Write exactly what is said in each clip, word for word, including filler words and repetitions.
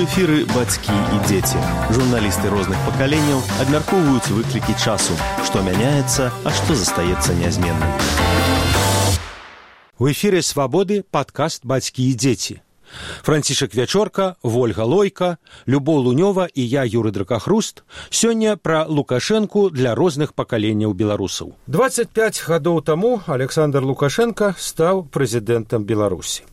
эфіры бацькі і дзеці. Журналісты розных пакаленняў абмяркоўваюць выклікі часу, што мяняецца, а што застаецца нязменным. У эфіры «Свабоды» падкаст «Бацькі і дзеці». Францішак Вячорка, Вольга Лойка, Любоў Лунёва і я, Юры Дракахруст, сёння пра Лукашэнку для розных пакаленняў беларусаў. дваццаць пяць гадоў таму Александр Лукашенко стаў прэзідэнтам Беларусі.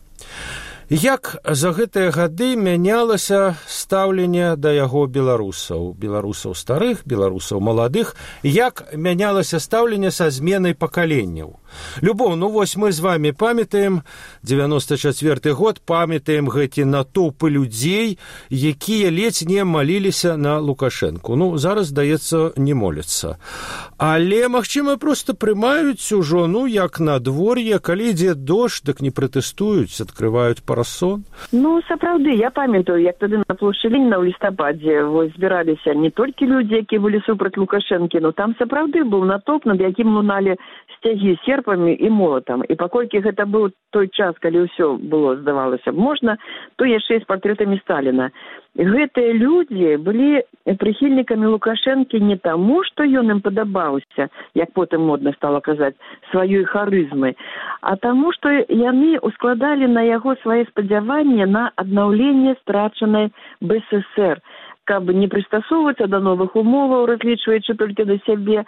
Як за гэтыя гады мянялася стаўленне да яго беларусаў, беларусаў старых, беларусаў маладых, як мянялася стаўленне са зменай пакаленняў. Любоў, ну вось мы з вами памятаем дзевяносто чацвёрты год, памятаем гэті натоўпы людзей, якія ледзь не маліліся на Лукашэнку. Ну, зараз, здаецца, не моляцца. Але, магчыма, проста прымаюць ужо, ну, як надвор'е, калі ідзе дождж, дык не пратэстуюць, адкрываюць парасон. Ну, сапраўды, я памятаю, як тады на плошчы Леніна ў лістападзе вось збіраліся не толькі людзі, якія былі супраць Лукашэнкі, но там сапраўды быў натоўп, над якім луналі сцягі серпамі і молатам. І паколькі гэта быў той час, калі ўсё было, здавалася б, можна, то яшчэ і з партрэтамі Сталіна. Гэтыя людзі былі прыхільнікамі Лукашэнкі не таму, што ён ім падабаўся, як потым модна стала казаць, сваёй харызмай, а таму, што яны ускладалі на яго свае спадзяванні на аднаўленне страчанай бэ эс эс ер, каб не прыстасоўвацца да новых умоваў, разлічваючы толькі да сябе,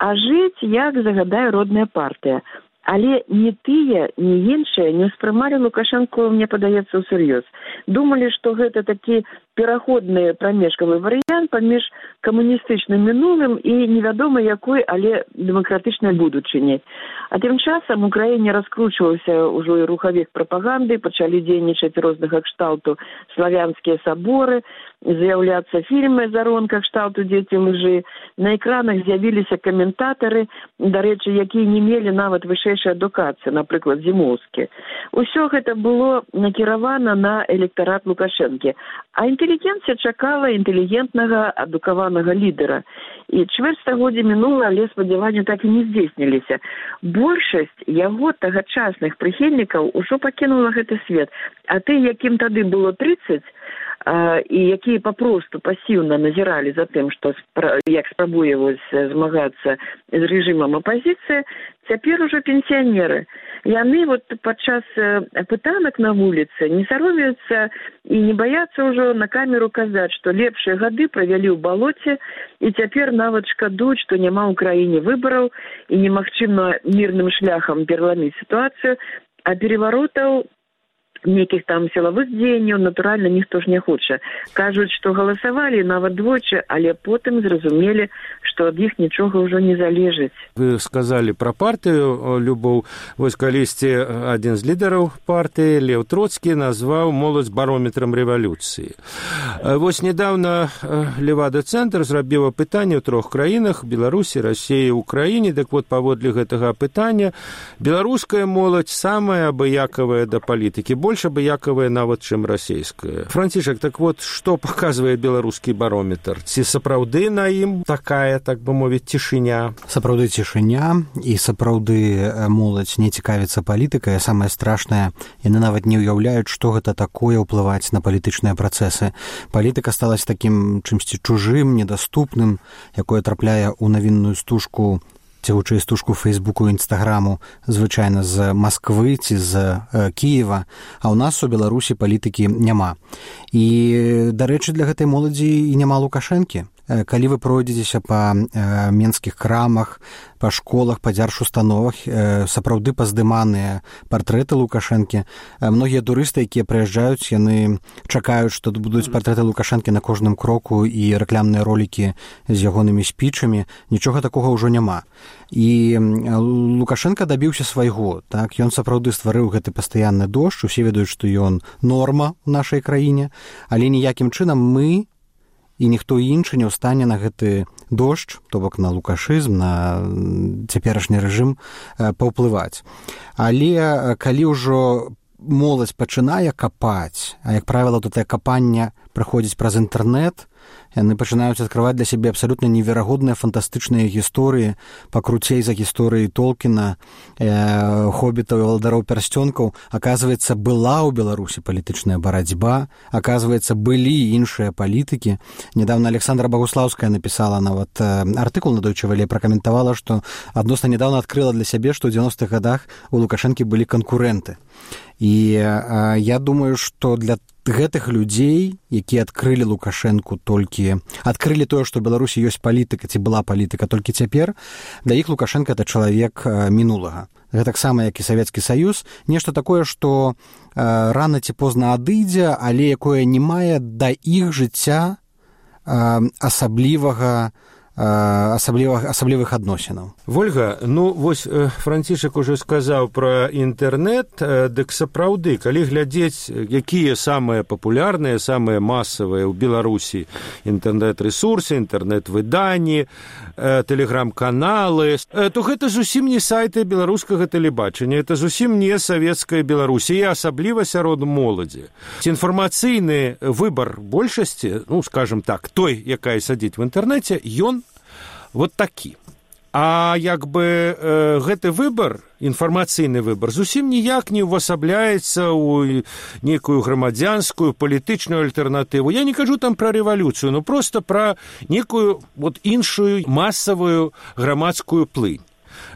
а жыць, як загадае родная партыя. Але ні тыя, ні іншыя не ўспрымалі Лукашэнку, мне падаецца, ўсур'ёз. Думалі, што гэта такі пераходны прамежкавы варыянт паміж камуністычным мінулым і невядома якой, але дэмакратычнай будучыняй. А тым часам у краіне раскручваўся ўжо і рухавік прапаганды, пачалі дзейнічаць рознага кшталту славянскія саборы, з'яўляцца фільмы заронка кшталту «Дзеці лжы». На экранах з'явіліся каментатары, дарэчы, якія не мелі нават вышэйшай адукацыі, напрыклад, Зімоўскі. Усё гэта было накіравана на электарат Лукашэнкі. А інтэлігенцыя чакала інтэлігентнага, адукаванага лідара. І чвэрць стагоддзя мінула, але спадзяванні так і не здзейсніліся. Большасць яго тагачасных прыхільнікаў ужо пакінула гэты свет. А ты, якім тады было трыццаць, і якія папросту пасіўна назіралі за тым, што як спрабуе вось змагацца з рэжымам апазіцыі, цяпер ужо пенсіянеры. Яны вот падчас пытанак на вуліцы не саромеюцца і не баяцца ўжо на камеру казаць, што лепшыя гады правялі ў балоце і цяпер нават шкадуюць, што няма ў краіне выбараў і немагчыма мірным шляхам пераламіць сітуацыю, а пераваротаў нейкіх там сілавых дзеянняў, натуральна, ніхто ж не хоча. Кажуць, што галасавалі нават двойчы, але потым зразумелі, што ад іх нічога ўжо не залежыць. Вы сказалі пра партыю, Любоў. Вось калісьці адзін з лідараў партыі, Леў Троцкі, назваў моладзь барометрам рэвалюцыі. Вось недавно Левада-цэнтр зрабіў апытанне ў трох краінах, Беларусі, Расіі, Украіне. Дык вот, паводле гэтага апытання, беларуская моладзь самая абыякавая да палітыкі, больш абыякавая нават, чым расійская. Францішак, так вот, што паказвае беларускі барометр? Ці сапраўды на ім такая, так бы мовіць, цішыня? Сапраўды цішыня, і сапраўды моладзь не цікавіцца палітыкай, а самае страшнае, яны нават не ўяўляюць, што гэта такое ўплываць на палітычныя працэсы. Палітыка сталася такім чымсьці чужым, недаступным, якое трапляе ў навінную стужку ці хутчэй стужку Фейсбуку і Інстаграму, звычайна з Масквы ці з э, Кіева, а ў нас у Беларусі палітыкі няма. І, дарэчы, для гэтай моладзі і няма Лукашэнкі. Калі вы пройдзецеся па э, менскіх крамах, па школах, па дзяржустановах, э, сапраўды паздыманыя партрэты Лукашэнкі, э, многія турысты, якія прыязджаюць, яны чакаюць, што будуць партрэты Лукашэнкі на кожным кроку і рэкламныя ролікі з ягонымі спічамі. Нічога такога ўжо няма. І Лукашенко дабіўся свайго, так, ён сапраўды стварыў гэты пастаянны дождж, усе ведаюць, што ён норма ў нашай краіне, але ніякім чынам мы і ніхто іншы не ў стане на гэты дождж, то бок на лукашызм, на цяперашні рэжым паўплываць. Але калі ўжо моладзь пачынае капаць, а як правіла, то тае капанне праходзіць праз інтэрнэт, яны пачынаюць адкрываць для сябе абсалютна неверагодныя фантастычныя гісторыі, пакруцей за гісторыі Толкіна, э, хоббітаў і валадароў пярсцёнкаў. Аказваецца, была ў Беларусі палітычная барацьба, аказваецца, былі іншыя палітыкі. Недавно Александра Богуслаўская напісала нават э, артыкул на Deutsche Welle, пракаментавала, што адносна недавно адкрыла для сябе, што ў дзевяностых гадах у Лукашэнкі былі канкурэнты. І э, я думаю, што для гэтых людзей, якія адкрылі Лукашэнку толькі, адкрылі тое, што ў Беларусі ёсць палітыка, ці была палітыка толькі цяпер, для іх Лукашэнка — это чалавек мінулага. Гэтаксама, як і Савецкі Саюз, нешта такое, што э, рана ці позна адыдзе, але якое не мае да іх жыцця э, асаблівага асаблівых, асаблівых адносінаў. Вольга, ну вось Францішак ужо сказаў пра інтэрнэт, дык сапраўды, калі глядзець, якія самыя папулярныя, самыя масавыя ў Беларусі інтэрнэт-рэсурсы, інтэрнэт-выданні, тэлеграм-каналы, то гэта зусім не сайты беларускага тэлебачання, это зусім не савецкая Беларусі, і асабліва сярод моладзі. Ці інфармацыйны выбар большасці, ну, скажем так, той, якая сядзіць в інтэрнэце, ён вот такі. А як бы э, гэты выбар, інфармацыйны выбар, зусім ніяк не ўвасабляецца ў нейкую грамадзянскую палітычную альтэрнатыву. Я не кажу там пра рэвалюцыю, но просто пра некую вот іншую масавую грамадскую плынь.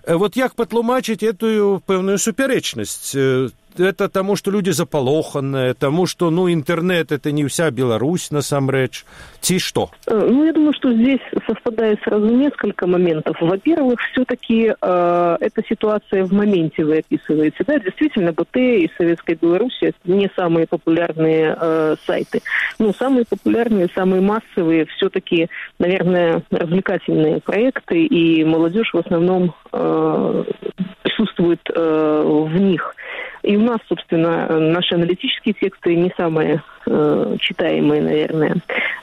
Вот як патлумачыць эту пэўную супярэчнасць? Это тому, что люди заполоханные, тому, что, ну, интернет — это не вся Беларусь, насамрэч, ти что? Ну, я думаю, что здесь совпадает сразу несколько моментов. Во-первых, все-таки э, эта ситуация в моменте вы описываете. Да, действительно, БТ и Советская Беларусь — это не самые популярные э, сайты. Ну, самые популярные, самые массовые все-таки, наверное, развлекательные проекты, и молодежь в основном э, присутствует э, в них. И у нас, собственно, наши аналитические тексты не самые э, читаемые, наверное.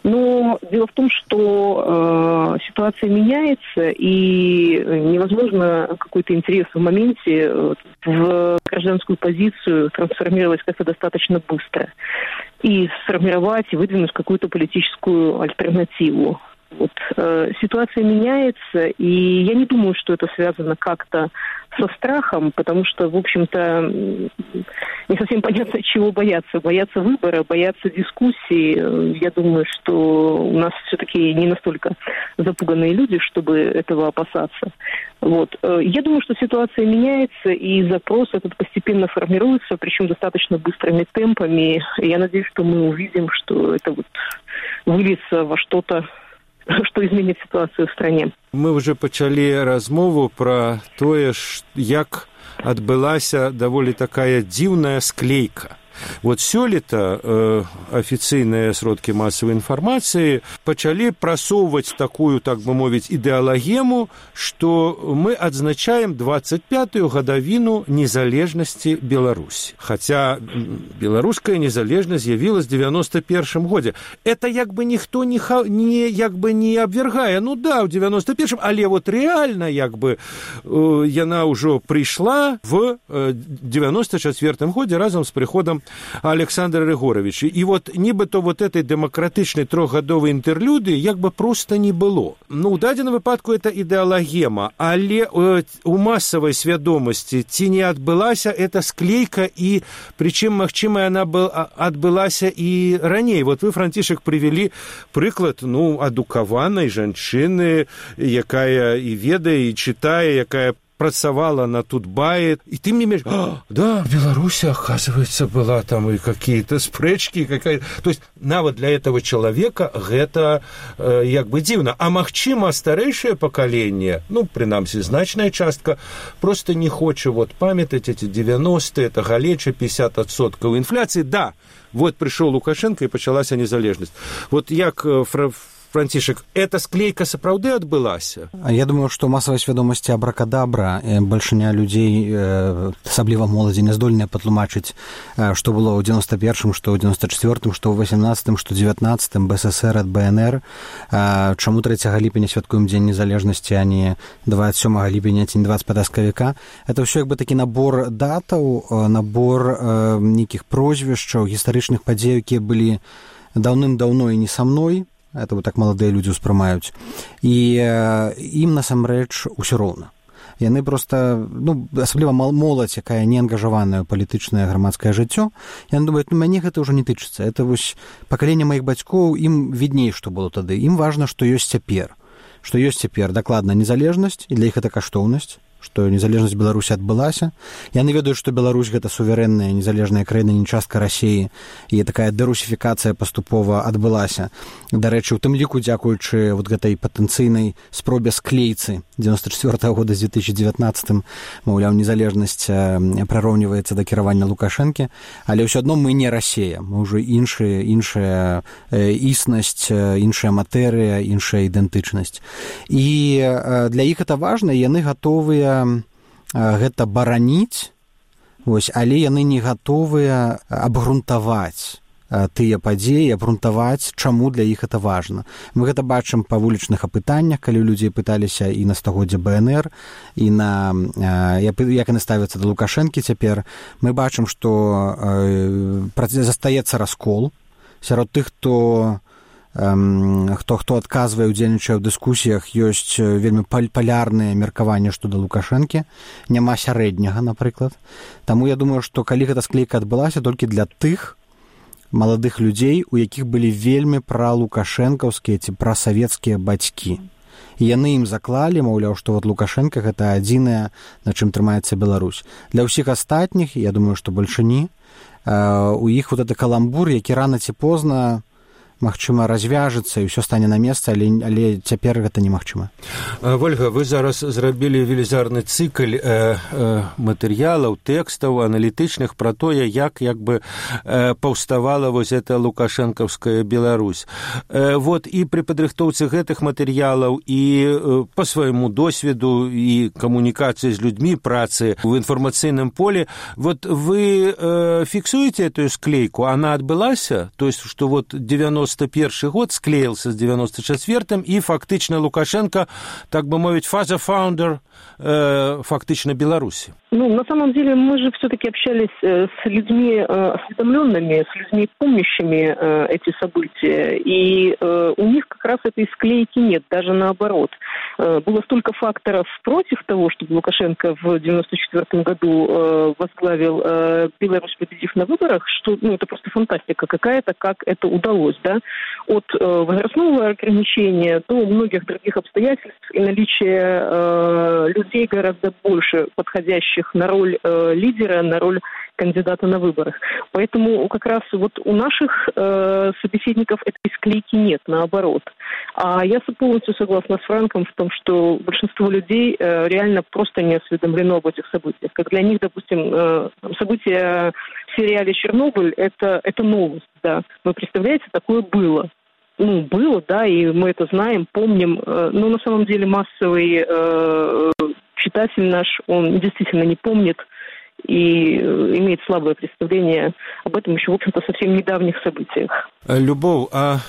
Но дело в том, что э, ситуация меняется, и невозможно какой-то интерес в моменте в гражданскую позицию трансформировать как-то достаточно быстро. И сформировать, и выдвинуть какую-то политическую альтернативу. Вот, э, ситуация меняется, и я не думаю, что это связано как-то со страхом, потому что, в общем-то, не совсем понятно, чего бояться. Бояться выбора, бояться дискуссии. Я думаю, что у нас все-таки не настолько запуганные люди, чтобы этого опасаться. Вот. Я думаю, что ситуация меняется, и запрос этот постепенно формируется, причем достаточно быстрыми темпами. И я надеюсь, что мы увидим, что это вот выльется во что-то, што зменіць сітуацыю ў стране. Мы ўжо пачалі размову пра тое, як адбылася даволі такая дзіўная склейка. Вот сёлета э, афіцыйныя сродкі масавай інфармацыі пачалі прасоўваць такую, так бы мовіць, ідэалагему, што мы адзначаем двадцать пятую гадавіну незалежнасці Беларусі. Хаця беларуская незалежнасць з'явілась в девяносто первом годзе. Это як бы ніхто не, не, як бы не абвяргае. Ну да, ў девяносто первом, але вот реально як бы э, яна ўжо прыйшла в э, девяносто четвёртым годзе разам з прыходам Александра Григоровича. И вот нібито вот этой демократичной трохгадовой интерлюдии як бы просто не было. Ну, у дадзеным выпадку это ідэалагема, але э, у массовой свядомости ці не адбылася эта склейка, и причем, магчыма, она был, адбылася и раней. Вот вы, Францішак, привели прыклад, ну, адукаванай жанчыны, якая и ведае, и читае, якая працавала на Тутбае, и ты мне говоришь, а, да, в Беларуси, оказывается, была там и какие-то спрэчки, какая... То есть, нават для этого человека гэта э, як бы дзіўна. А магчыма, старэйшае пакаленне, ну, прынамсі, значная частка, просто не хоча вот памятаць эти девяностые, это галеча, пятьдесят адсоткаў инфляции. Да, вот пришел Лукашенко, и пачалася незалежнасць. Вот як э, фра... Францішак, эта склейка сапраўды адбылася? Я думаю, што масавай свядомасці абракадабра, бальшыня людзей, асабліва моладзі, не здольныя патлумачыць, што было ў девяносто первом, што ў девяносто четвёртым, што ў восемнадцатым, што ў девятнадцатым, БССР ад БНР. Чаму трэцяга ліпеня святкуем дзень незалежнасці, а не двадцать сёмага ліпеня ці не двадцать пятага сакавіка? Это ўсё як бы такі набор датаў, набор нейкіх прозвішчаў, гістарычных падзей, якія былі даўным-даўно і не са мной. это вот так маладыя людзі ўспрымаюць, і ім насамрэч усё роўна. Яны просто, ну, асабліва моладзь, якая не ангажаваная ў палітычнае грамадскае жыццё, яны думаюць, ну, мяне гэта ўжо не тычыцца. Это вось пакаленне маіх бацькоў, ім відней, што было тады. Ім важна, што ёсць цяпер. Што ёсць цяпер дакладна незалежнасць, і для іх гэта каштоўнасць, што незалежнасць Беларусі адбылася. Яны ведаюць, што Беларусь гэта суверэнная, незалежная краіна, не частка Расіі, і такая дэрусіфікацыя паступова адбылася. Дарэчы, у тым ліку, дзякуючы вот гэтай патэнцыйнай спробе склейцы дзевяносто четвёртого года з две тысячи девятнадцатым, маўляў, незалежнасць прараўніваецца да кіравання Лукашэнкі, але ўсё адно мы не Расія, мы ўжо іншая, іншая існасць, іншая матэрыя, іншая ідэнтычнасць. І для іх гэта важна, і яны гатовыя гэта бараніць, вось, але яны не гатовыя абгрунтаваць тыя падзеі, абгрунтаваць, чаму для іх гэта важна. Мы гэта бачым па вулічных апытаннях, калі людзі пыталіся і на стагоддзе бэ эн эр, і на як яны ставяцца да Лукашэнкі цяпер. Мы бачым, што застаецца раскол сярод тых, хто хто хто адказвае, удзельнічае ў дыскусіях, ёсць вельмі палярныя меркаванні што да Лукашэнкі, няма сярэдняга, напрыклад. Таму я думаю, што калі гэта склейка адбылася, толькі для тых маладых людзей, у якіх былі вельмі пралукашэнкаўскія ці прасавецкія бацькі. І яны ім заклалі, маўляў, што вот Лукашэнка гэта адзінае, на чым трымаецца Беларусь. Для ўсіх астатніх, я думаю, што больше не, у іх вот гэты каламбур, які рана ці позна магчыма, развяжецца і ўсё стане на месца, але, але цяпер гэта немагчыма. Вольга, вы зараз зрабілі велізарны цыкль э, э, матэрыялаў, тэкстаў, аналітычных пра тое, як як бы э, паўставала вось эта лукашэнкаўская Беларусь. Э, вот і пры падрыхтоўцы гэтых матэрыялаў і э, па свайму досведу і камунікацыі з людзьмі, працы ў інфармацыйным полі, вот вы э, фіксуеце эту склейку, она адбылася? То есть, што вот девяносто першы год склеился с девяносто четвёртым, и фактично Лукашенко, так бы мовить, фаза-фаундер э, фактично Беларуси. Ну, на самом деле, мы же все-таки общались э, с людьми э, осведомленными, с людьми, помнящими э, эти события, и э, у них как раз этой склейки нет, даже наоборот. Э, было столько факторов против того, чтобы Лукашенко в девяносто четвёртом году э, возглавил э, Беларусь, победив на выборах, что, ну, это просто фантастика какая-то, как это удалось, да, от э, возрастного ограничения до многих других обстоятельств и наличия э, людей гораздо больше подходящих на роль э, лидера, на роль кандидата на выборах. Поэтому как раз вот у наших э, собеседников этой склейки нет, наоборот. А я полностью согласна с Франком в том, что большинство людей э, реально просто не осведомлено об этих событиях. Как для них, допустим, э, события в сериале «Чернобыль» это, это новость, да. Вы представляете, такое было. Ну, было, да, и мы это знаем, помним, э, но на самом деле массовый э, читатель наш, он действительно не помнит и имеет слабое представление об этом еще, в общем-то, совсем недавних событиях. Любоў, а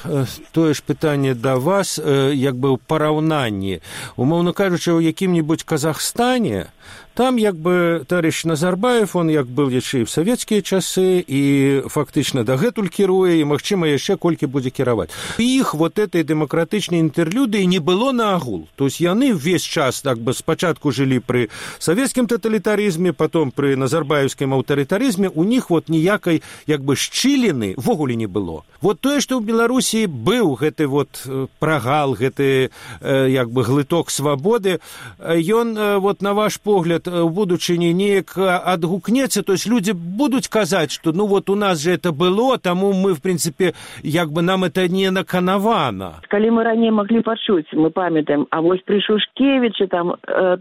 тое ж пытанне да вас, як бы ў параўнанні. Умоўна кажучы, у якім-небудзь Казахстане, там як бы товарищ Назарбаев, он як был яшчэ і в савецкія часы, і фактычна дагэтуль кіруе, і, магчыма, яшчэ колькі будзе кіраваць. Іх вот этой дэмакратычнай інтэрлюдыі не было наагул. То есть яны весь час так бы спачатку жылі пры савецкім таталітарызме, потом пры назарбаевскім аўтарытарызме, у них вот ніякай як бы шчыліны ввогуле не было. Вот тое, што ў Беларусі быў гэты вот прагал, гэты як бы глыток свабоды, ён вот на ваш погляд у будучыні неяк адгукнецца, то есть люди будуць казаць, што ну вот у нас же это было, таму мы в принципе як бы нам это не наканавана. Калі мы раней маглі пачуць, мы памятаем, а вось пры Шушкевічы там,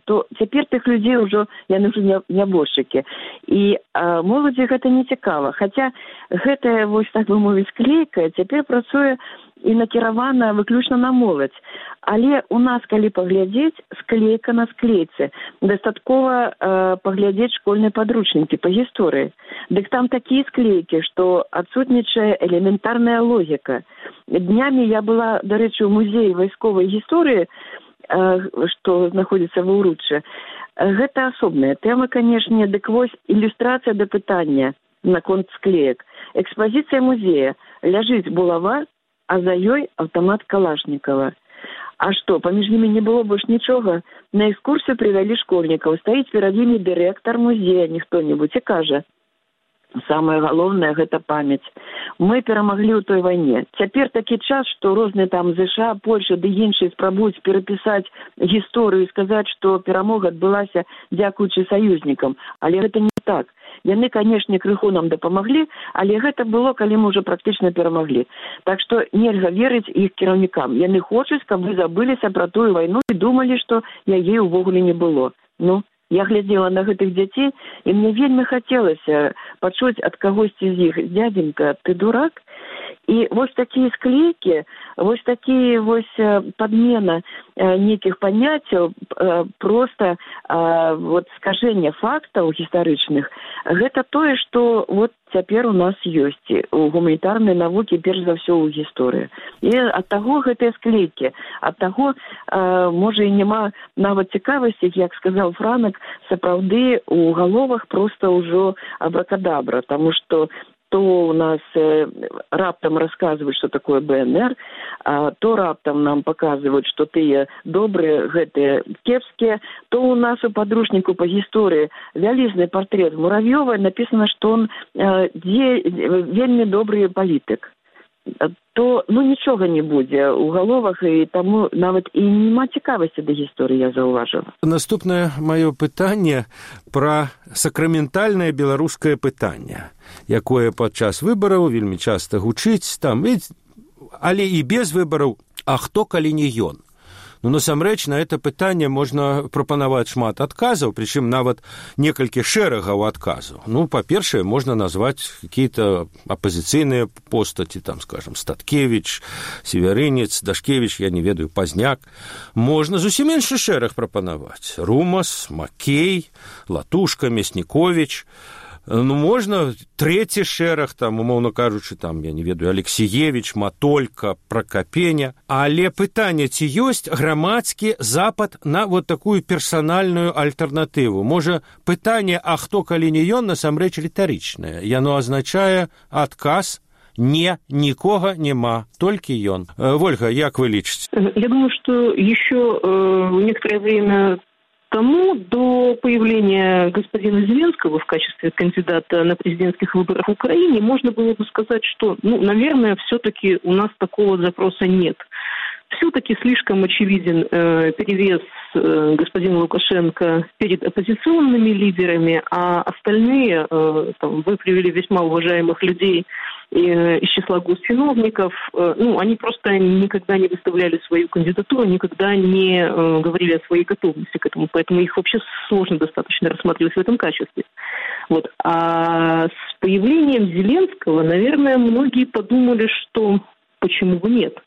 то цяпер тых людзей ўжо яны ўжо нябожчыкі. І моладзі гэта не цікава, хаця гэтая вось так бы мовіць склейка цяпер працуе і накіравана выключна на моладзь. Але у нас, калі паглядзець, склейка на склейцы. Дастаткова э, паглядзець школьныя падручнікі па гісторыі. Дык там такія склейкі, што адсутнічае элементарная логіка. Днямі я была, дарэчы, у музеі вайсковай гісторыі, э, што знаходзіцца ва ўруччы. Гэта асобная тэма, канешне, дык вось ілюстрацыя да пытання наконт склеек. Экспазіцыя музея. Ляжыць булава, а за ёй аўтамат Калашнікава. А што, паміж імі не было больш нічога? На экскурсію прывялі школьнікаў. Стаіць перад імі дырэктар музея, ніхто-небудзь, і кажа: самае галоўнае – гэта памяць. Мы перамаглі ў той вайне. Цяпер такі час, што розныя там ЗША, Польша ды іншыя спрабуюць перапісаць гісторыю і сказаць, што перамога адбылася дзякуючы саюзнікам. Але гэта не так. Яны, канешне, крыху нам дапамаглі, але гэта было, калі мы ўжо практычна перамаглі. Так што нельга верыць іх кіраўнікам. Яны хочуць, каб вы забыліся пра тую вайну і думалі, што яе ўвогуле не было. Ну, я глядзела на гэтых дзяцей, і мне вельмі хацелася пачуць ад кагосьці з іх: «Дядзенька, ты дурак?» І вось такія склейкі, вось такія вось падмена нейкіх паняццяў, проста вот скажэнне фактаў гістарычных, гэта тое, што вот цяпер у нас ёсць у гуманітарнай навукі, перш за ўсё ў гісторыі. І ад таго гэтыя склейкі, ад таго, можа, і няма нават цікавасці, як сказаў Франак, сапраўды у галовах проста ўжо абракадабра, таму што то у нас э, раптам расказваюць, што такое БНР, а то раптам нам паказваюць, што тыя добрыя, гэтыя кепскія, то у нас у падручніку па гісторыі вялізны партрэт Муравьёва, напісана, што он э, дзе, вельмі добры палітык. То ну нічога не будзе ў галовах, і таму нават і няма цікавасці да гісторыі, я заўважыла. Наступнае маё пытанне пра сакраментальнае беларускае пытанне, якое падчас выбараў вельмі часта гучыць там, але і без выбараў: а хто, калі не ён? Ну, насамрэч, на это пытанне можна прапанаваць шмат адказаў, прычым нават некалькі шэрагаў адказаў. Ну, па-першае, можна назваць какие-то апозіцыйныя постаці, там, скажем, Статкевич, Северынец, Дашкевич, я не ведаю, Пазняк. Можна зусім іншы шэраг прапанаваць: Румас, Макей, Латушка, Мяснікович. Ну, можна трэці шэраг, там, умоўна кажучы, там, я не ведаю, Алексеевич, Матолька, Прокопеня. Але пытанне, ці ёсць грамадскі запад на вот такую персанальную альтэрнатыву? Можа, пытанне, а хто, калі не ён, насамрэч рытарычнае. Яно азначае адказ: не, нікога няма, толькі ён. Вольга, як вы лічыце? Я думаю, что еще э, некоторое время тому, до появления господина Зеленского в качестве кандидата на президентских выборах в Украине, можно было бы сказать, что, ну, наверное, все-таки у нас такого запроса нет. Все-таки слишком очевиден э, перевес э, господина Лукашенко перед оппозиционными лидерами, а остальные, э, там, вы привели весьма уважаемых людей э, из числа госчиновников, э, ну, они просто никогда не выставляли свою кандидатуру, никогда не э, говорили о своей готовности к этому, поэтому их вообще сложно достаточно рассматривать в этом качестве. Вот. А с появлением Зеленского, наверное, многие подумали, что почему бы нет.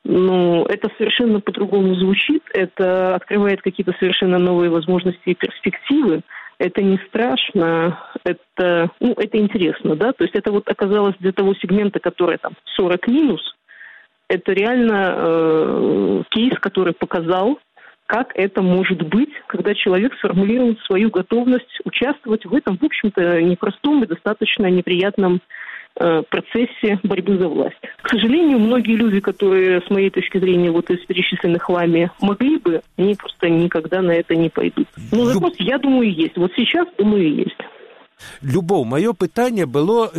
Ну, это совершенно по-другому звучит, это открывает какие-то совершенно новые возможности и перспективы. Это не страшно, это, ну, это интересно, да, то есть это вот оказалось для того сегмента, который там сорок минус, это реально э, кейс, который показал, как это может быть, когда человек сформулирует свою готовность участвовать в этом, в общем-то, непростом и достаточно неприятном процессе борьбы за власть. К сожалению, многие люди, которые, с моей точки зрения, вот из перечисленных вами могли бы, они просто никогда на это не пойдут. Но запрос, я думаю, есть. Вот сейчас, думаю, есть. Любоў, маё пытанне было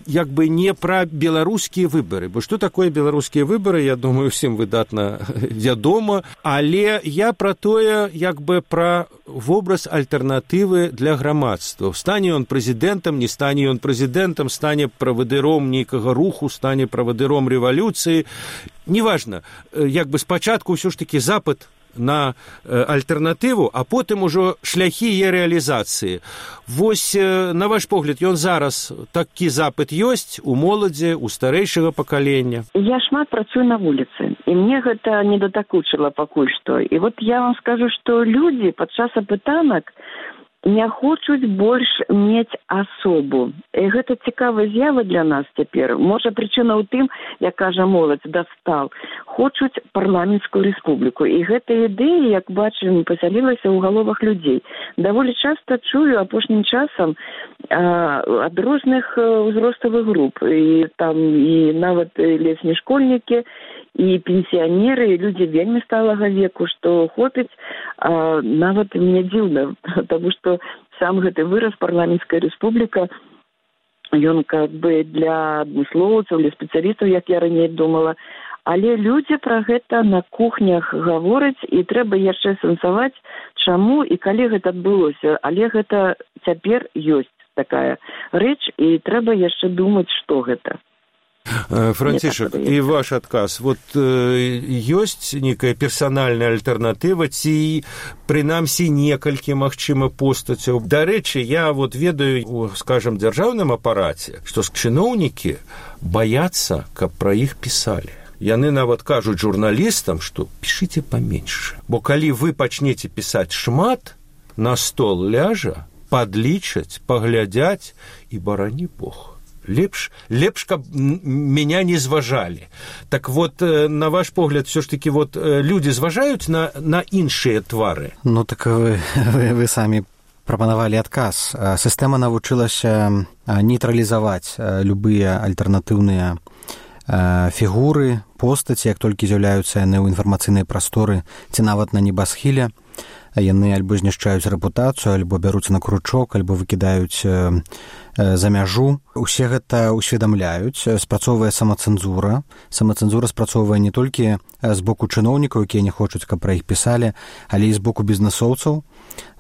як бы не пра беларускія выбары, бо што такое беларускія выбары, я думаю, усім выдатна вядома, але я пра тое, як бы пра вобраз альтэрнатывы для грамадства. Стане ён прэзідэнтам, не стане ён прэзідэнтам, стане правадыром нейкага руху, стане правадыром рэвалюцыі. Неважна, як бы спачатку ўсё ж такі запад на альтэрнатыву, а потым ужо шляхі яе рэалізацыі. Вось, на ваш погляд, ён зараз такі запыт ёсць у моладзі, у старэйшага пакалення? Я шмат працую на вуліцы, і мне гэта не датакучыла пакуль што. І вот я вам скажу, што людзі падчас апытанак не хочуць больш мець асобу. І гэта цікавая з'ява для нас цяпер. Можа, прычына ў тым, як кажа моладзь, дастал, хочуць парламенцкую рэспубліку. І гэта ідэя, як бачым, пасялілася ў галовах людзей. Даволі часта чую апошнім часам а, ад розных узроставых груп. І там і нават лесні школьнікі, і пенсіянеры, і людзі вельмі сталага веку, што хопіць, а, нават мне дзіўна, таму што сам гэты выраз парламенцкая рэспубліка, ён как бы для адмыслоўцаў, для спецыялістаў, як я раней думала, але людзі пра гэта на кухнях гавораць, і трэба яшчэ сэнсаваць, чаму і калі гэта адбылося. Але гэта цяпер ёсць такая рэч, і трэба яшчэ думаць, што гэта. Францішак, і ваш адказ. Вот ёсць некая персанальная альтэрнатыва ці, прынамсі, некалькі, магчыма, постацяў. Дарэчы, я вот ведаю у, скажам, дзяржаўным апараце, што чыноўнікі баяцца, каб пра іх пісалі. Яны нават кажуць журналістам, што пішыце паменьш. Бо калі вы пачнеце пісаць шмат, на стол ляжа, падлічаць, паглядзяць і барані Бог. Лепш, лепш, каб меня не зважалі. Так вот, на ваш погляд, все ж таки, вот, люди зважаюць на, на іншыя твары? Ну, так вы, вы, вы самі прапанавалі адказ. Сістэма навучылася нейтралізаваць любыя альтэрнатыўныя фігуры, постаці, як толькі з'яўляюцца яны ў інфармацыйнай прасторы, ці нават на небасхіле. Яны альбо знішчаюць рэпутацыю, альбо бяруцца на кручок, альбо выкідаюць э, э, за мяжу. Усе гэта ўсведамляюць, спрацоўвае самацэнзура. Самацэнзура спрацоўвае не толькі з боку чыноўнікаў, якія не хочуць, каб пра іх пісалі, але і з боку бізнэсоўцаў.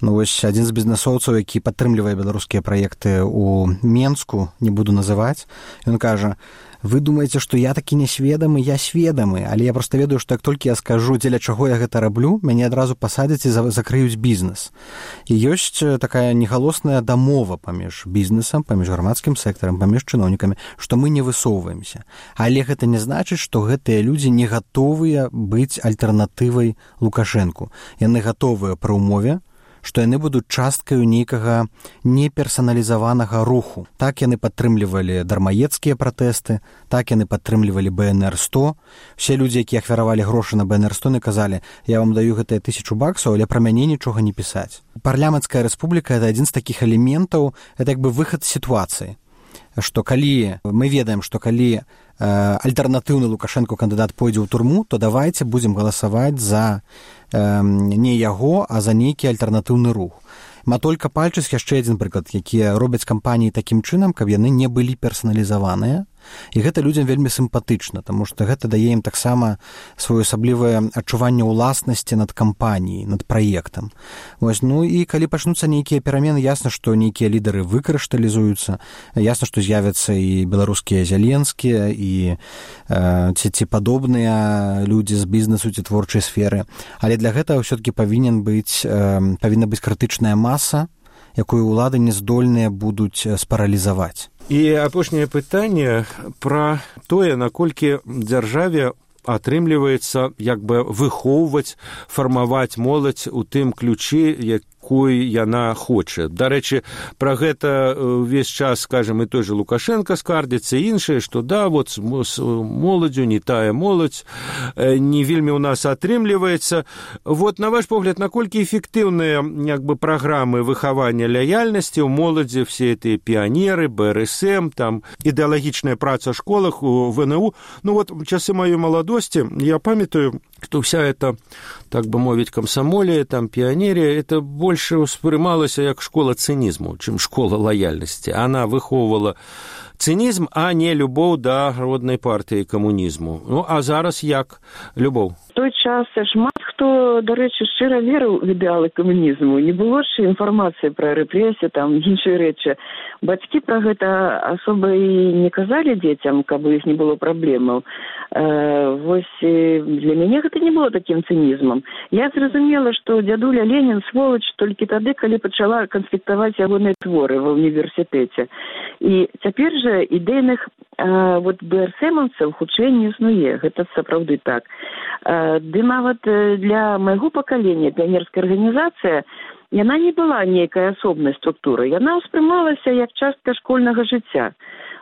Ну, вось адзін з бізнэсоўцаў, які падтрымлівае беларускія праекты ў Менску, не буду называць, ён кажа: вы думаеце, што я такі несведамы, я сведамы, але я проста ведаю, што як толькі я скажу, дзеля чаго я гэта раблю, мяне адразу пасадзяць і закрыюць бізнес. І ёсць такая негалосная дамова паміж бізнесам, паміж грамадскім сектарам, паміж чыноўнікамі, што мы не высоўваемся. Але гэта не значыць, што гэтыя людзі не гатовыя быць альтэрнатывай Лукашэнку. Яны гатовыя пры ўмове, што яны будуць часткаю нейкага неперсаналізаванага руху. Так яны падтрымлівалі дармаедскія пратэсты, так яны падтрымлівалі бэ эн эр сто. Усе людзі, якія ахвяравалі грошы на бэ эн эр сто, не казалі: я вам даю гэтыя тысячу баксаў, але пра мяне нічога не пісаць. Парламенцкая рэспубліка — это адзін з такіх элементаў, это як бы выхад з сітуацыі. Што калі мы ведаем, што калі э, альтэрнатыўны Лукашэнку кандыдат пойдзе ў турму, то давайце будзем галасаваць за э, не яго, а за нейкі альтэрнатыўны рух. Матолька Пальчык яшчэ адзін прыклад, якія робяць кампаніі такім чынам, каб яны не былі персаналізаваныя. І гэта людзям вельмі сімпатычна, таму што гэта дае ім таксама своеасаблівае адчуванне ўласнасці над кампаніяй, над праектам. Вось, ну і калі пачнуцца нейкія перамены, ясна, што нейкія лідары выкрышталізуюцца, ясна, што з'явяцца і беларускія зяленскія, і э, ці, ці падобныя людзі з бізнесу ці творчай сферы. Але для гэтага ўсё-такі павінен быць, э, павінна быць крытычная маса, якую ўлады не здольныя будуць спаралізаваць. І апошняе пытанне пра тое, наколькі дзяржаве атрымліваецца як бы выхоўваць, фармаваць моладзь у тым ключы, якой яна хоча. Дарэчы, пра гэта ўвесь час, скажем, і той же Лукашенко скардзіцца, і іншае, што да, вот з моладзю не тая моладзь, не вельмі ў нас атрымліваецца. Вот, на ваш погляд, наколькі эфектыўныя як бы праграмы выхавання лаяльнасці ў моладзі, все эти піянеры, бэ эр эс эм, там ідэалагічная праца ў школах, у вэ эн у. Ну вот, часы маёй маладосці, я памятаю, что вся эта, так бы мовить, комсомолия, там, пионерия, это больше воспринималось как школа цинизму, чем школа лояльности. Она выховывала цинизм, а не любовь до родной партии коммунизму. Ну, а зараз як любовь? В той час шмат хто, до речі, щиро вірив в ідеали комунізму. Не було ж інформації про репресії, там, інші речі. Батьки про гэта особо і не казали дітям, каб їх не було проблем. Вось для мяне гэта не было таким цинізмом. Я зразумела, што дзядуля Ленін сволач толькі тады, калі пачала канспектаваць ягоныя творы ва універсітэце. І цяпер жа ідэйных вот бэ эр эс эмаўцаў хутчэй не існуе. Гэта сапраўды так. Ды нават для майго пакалення піянерская арганізацыя, яна не была нейкай асобнай структурай, яна ўспрымалася як частка школьнага жыцця.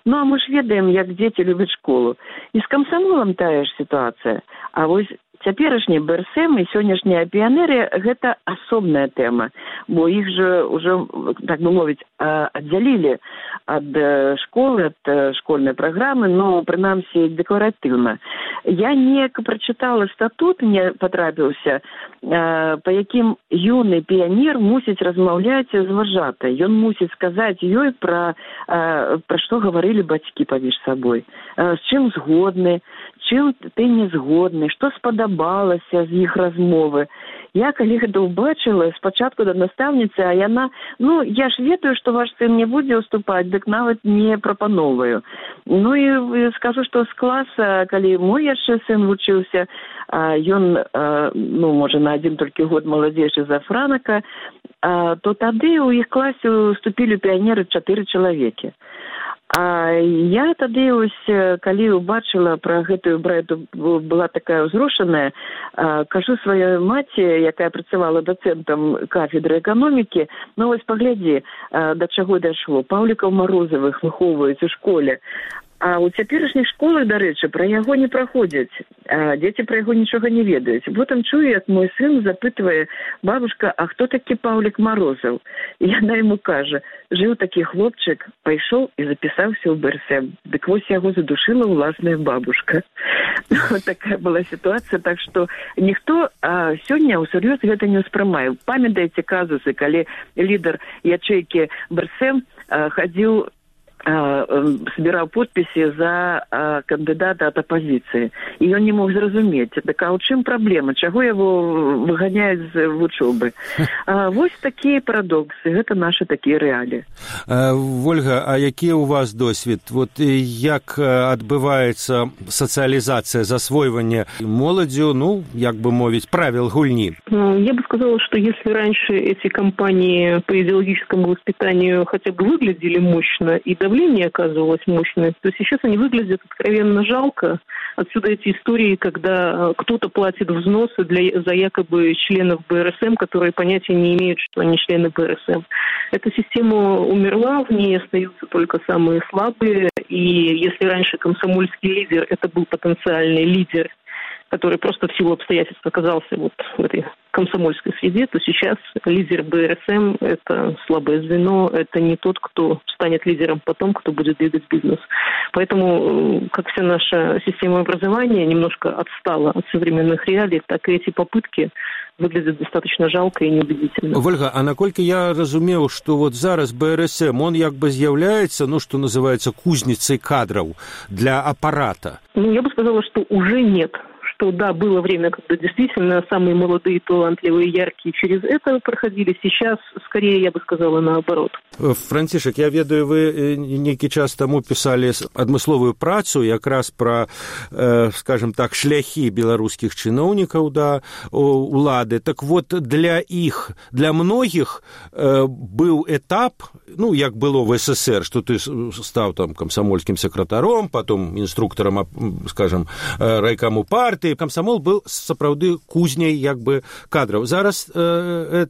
Ну, а мы ж ведаем, як дзеці любяць школу. І з камсамолам тая ж сітуацыя. А вось цяперашні бэ эр эс эм і сённяшняя піянерыя – гэта асобная тэма, бо іх жа ўжо, так бы мовіць, аддзялілі ад школы, ад школьнай праграмы, но, прынамсі, дэкларатыўна. Я неяк прачытала статут, мне патрапіўся, па якім юны піянер мусіць размаўляць з вожатай. Ён мусіць сказаць ёй пра, пра што гаварылі бацькі паміж сабой, з чым згодны, чым ты не згодны, што спадабалася з іх размовы. Я, калі гэта ўбачыла, спачатку да настаўніцы, а яна, ну, я ж ведаю, што ваш сын не будзе ўступаць, дык нават не прапановваю. Ну, і скажу, што з класа, калі мой яшчэ сын вучыўся, ён, ну, можа, на адзін толькі год маладзейшы за Франака, то тады ў іх класе уступілі піянеры чатыры чалавекі. А я тады, ось, калі ўбачыла пра гэтую брэду, была такая ўзрушаная, кажу сваёй маці, якая працавала дацэнтам кафедры эканомікі, ну, ось, паглядзі, да чаго дайшло. Паўлікаў Марозавых выхоўваюць у школе. А ў цяперашніх школах, дарэчы, пра яго не праходзяць. А дзеці пра яго нічога не ведаюць. Потым чую, як мой сын запытвае: бабушка, а хто такі Паўлік Марозаў? І яна яму кажа: жыў такі хлопчык, пайшоў і запісаўся ў бэ эр эс эм. Дык вось яго задушыла ўласная бабушка. Вот такая была сітуацыя, так што ніхто а, сёння ўсур'ёз гэта не ўспрымае. Памятаеце казусы, калі лідар ячэйкі бэ эр эс эм а, хадзіў, собирал подписи за а, кандидата от оппозиции. И он не мог зразумець, так а ў чым праблема? Чаго яго выганяюць з вучобы? А, вось такія парадоксы, гэта наши такія рэаліі. Вольга, а які у вас досвед? Вот як адбываецца сацыялізацыя, засвойванне моладзю, ну, як бы мовіць, правил гульни? Я бы сказала, что если раньше эти кампании по идеологическому воспитанию хотя бы выглядели мощно и давление оказывалось мощное, то сейчас они выглядят откровенно жалко. Отсюда эти истории, когда кто-то платит взносы для, за якобы членов бэ эр эс эм, которые понятия не имеют, что они члены бэ эр эс эм. Эта система умерла, в ней остаются только самые слабые. И если раньше комсомольский лидер – это был потенциальный лидер, который просто в силу обстоятельств оказался вот в этой комсомольской среде, то сейчас лидер бэ эр эс эм – это слабое звено, это не тот, кто станет лидером потом, кто будет двигать бизнес. Поэтому, как вся наша система образования немножко отстала от современных реалий, так и эти попытки выглядят достаточно жалко и неубедительно. Вольга, а наколькі я разумеў, што вот зараз бэ эр эс эм, он як бы з'яўляецца, ну, что называется, кузницей кадров для аппарата? Ну, я бы сказала, что уже нет. Что, да, было время, когда действительно самые молодые, талантливые, яркие через это проходили. Сейчас, скорее, я бы сказала, наоборот. Францішак, я ведаю, вы нейкі час таму пісалі адмысловую працу якраз пра, э, скажем так, шляхі беларускіх чыноўнікаў да улады. Так вот, для іх, для многіх э, быў этап, ну, як было в эс эс эр, што ты стаў там камсамольскім сакратаром, потом інструктарам, скажем, райкаму партыі. Камсамол был сапраўды кузняй як бы кадраў. Зараз э,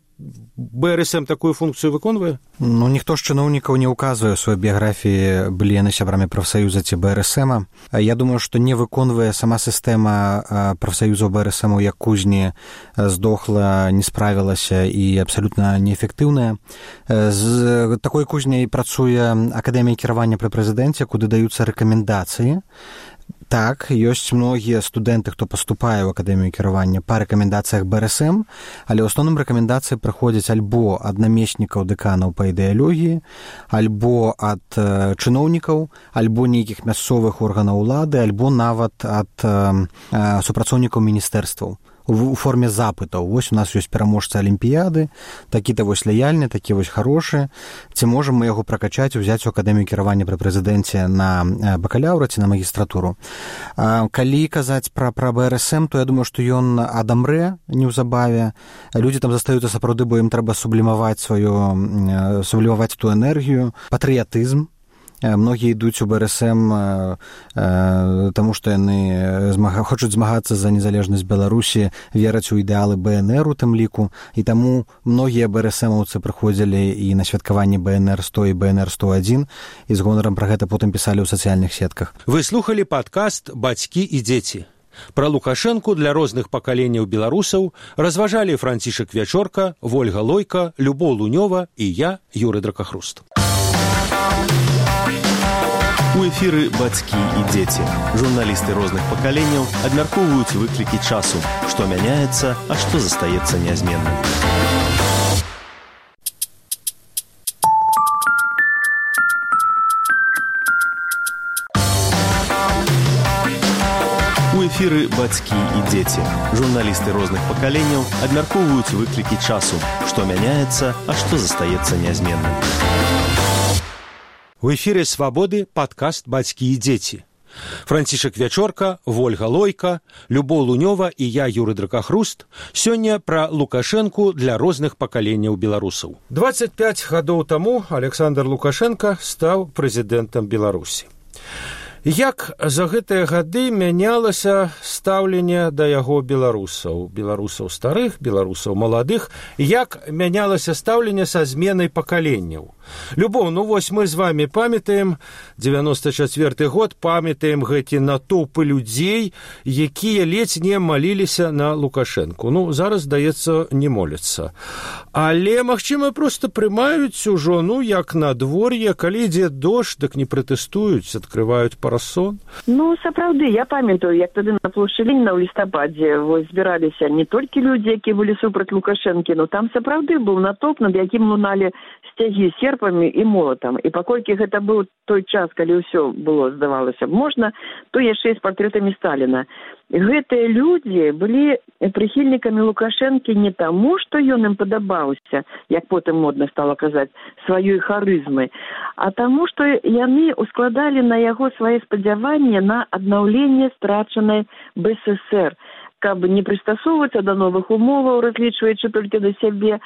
бэ эр эс эм такую функцыю выконвае? Ну, ніхто з чыноўнікаў не ўказвае ў сваёй біяграфіі, былі яны сябрамі прафсаюза ці бэ эр эс эм. Я думаю, што не выконвае сама сістэма прафсаюзаў бэ эр эс эм як кузні, здохла, не справілася і абсалютна неэфектыўная. З такой кузняй працуе Акадэмія кіравання пры прэзідэнце, куды даюцца рэкамендацыі. Так, ёсць многія студэнты, хто паступае ў Акадэмію кіравання па рэкамендацыях бэ эр эс эм, але ў асноўным рэкамендацыі прыходзяць альбо ад намеснікаў дэканаў па ідэалогіі, альбо ад э, чыноўнікаў, альбо нейкіх мясцовых органаў улады, альбо нават ад э, супрацоўнікаў міністэрстваў у форме запытаў. Вось у нас ёсць пераможца алімпіяды, такі-то вось лаяльны, такі вось хорошы. Ці можам мы яго пракачаць, узяць у Акадэмію кіравання пры прэзідэнце на бакалаўра ці на магістратуру. Калі казаць пра, пра бэ эр эс эм, то я думаю, што ён адамрэ неўзабаве. Людзі там застаюцца сапраўды, бо ім трэба сублімаваць сваю, сублімаваць ту энергію, патрыятызм. многія ідуць у БРСМ таму што яны змага... хочуць змагацца за незалежнасць Беларусі, вераць у ідэалы БНР у тым ліку, і таму многія БРСМаўцы прыходзілі і на святкаванне БНР сто і БНР сто адзін і з гонарам пра гэта потым пісалі ў сацыяльных сетках. Вы слухалі падкаст «Бацькі і дзеці». Пра Лукашэнку для розных пакаленняў беларусаў разважалі Францішак Вячорка, Вольга Лойка, Любоў Лунёва і я, Юры Дракахруст. У эфіры «Бацькі і дзеці». Журналісты розных пакаленняў абмяркоўваюць выклікі часу, што мяняецца, а што застаецца нязменным. У эфіры «Бацькі і дзеці». Журналісты розных пакаленняў абмяркоўваюць выклікі часу, што мяняецца, а што застаецца нязменным. У эфире «Свободы» подкаст «Бацькі і дзеці». Францішак Вячорка, Вольга Лойка, Любоў Лунёва і я, Юры Дракахруст, сёння пра Лукашэнку для розных пакаленняў беларусаў. дваццаць пяць гадоў таму Александр Лукашенко стаў прэзідэнтам Беларусі. Як за гэтыя гады мянялася стаўленне да яго беларусаў, беларусаў старых, беларусаў маладых, як мянялася стаўленне са зменай пакаленняў. Любоў, ну вось мы з вами памятаем дзевяносто чацвёрты год, памятаем гэты натоўпы людзей, якія ледзь не маліліся на Лукашэнку. Ну, зараз, здаецца, не моляцца. Але, магчыма, проста прымаюць ужо, ну, як надвор'е, калі ідзе дождж, дык не пратэстуюць, адкрываюць парасон. Ну, сапраўды, я памятаю, як тады на плошчы Леніна ў лістападзе вось збіраліся не толькі людзі, якія былі супраць Лукашэнкі, но там сапраўды быў натоўп, над якім луналі сцягі серпамі і молатам. І паколькі гэта быў той час, калі ўсё было, здавалася б, можна, то яшчэ і з партрэтамі Сталіна. Гэтыя людзі былі прыхільнікамі Лукашэнкі не таму, што ён ім падабаўся, як потым модна стала казаць, сваёй харызмы, а таму, што яны ускладалі на яго свае спадзяванні на аднаўленне страчанай БССР, каб не прыстасоўвацца да новых умоваў, разлічваючы толькі да сябе,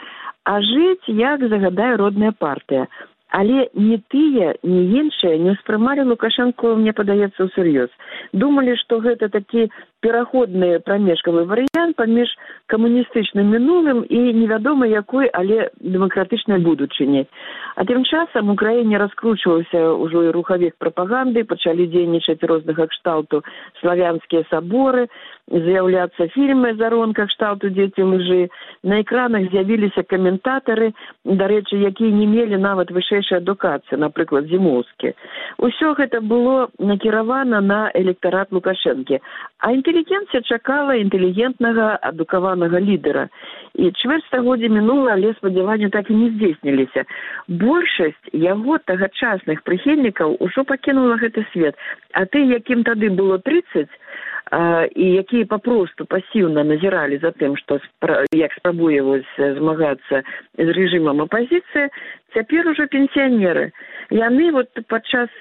а жыць, як загадае родная партыя. Але ні тыя, ні іншыя не ўспрымалі Лукашэнку, мне падаецца, усур'ёз. Думалі, што гэта такі пераходны прамежкавы варыянт паміж камуністычным мінулым і невядома якой, але дэмакратычнай будучыняй. А тым часам у краіне раскручваўся ўжо і рухавік прапаганды, пачалі дзейнічаць рознага кшталту славянскія саборы, з'яўляцца фільмы заронка кшталту «Дзеці лжы». На экранах з'явіліся каментатары, дарэчы, якія не мелі нават вышэйшай адукацыі, напрыклад, Зімоўскі. Усё гэта было накіравана на электарат Лукашэнкі. А інтэлігенцыя чакала інтэлігентнага, адукаванага лідара. І чвэрць стагоддзя мінула, але спадзяванні так і не здзейсніліся. Большасць яго тагачасных прыхільнікаў ужо пакінула гэты свет. А ты, якім тады было трыццаць, і якія папросту пасіўна назіралі за тым, што як спрабуе змагацца з рэжымам апазіцыі, цяпер ужо пенсіянеры. Яны вот падчас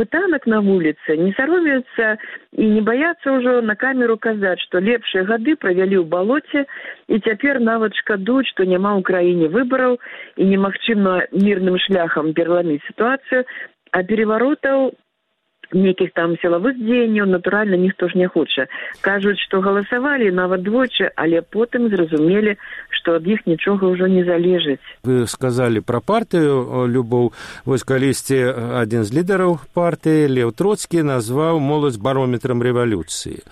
пытанак на вуліцы не саромеюцца і не баяцца ўжо на камеру казаць, што лепшыя гады правялі ў балоце і цяпер нават шкадуюць, што няма ў краіне выбараў і немагчыма мірным шляхам пераламіць сітуацыю, а пераваротаў нейкіх там сілавых дзеянняў, натуральна, ніхто ж не хоча. Кажуць, што галасавалі нават двойчы, але потым зразумелі, што ад іх нічога ўжо не залежыць. Вы сказалі пра партыю, Любоў. Вось калісьці адзін з лідараў партыі, Леў Троцкі, назваў моладзь барометрам рэвалюцыі.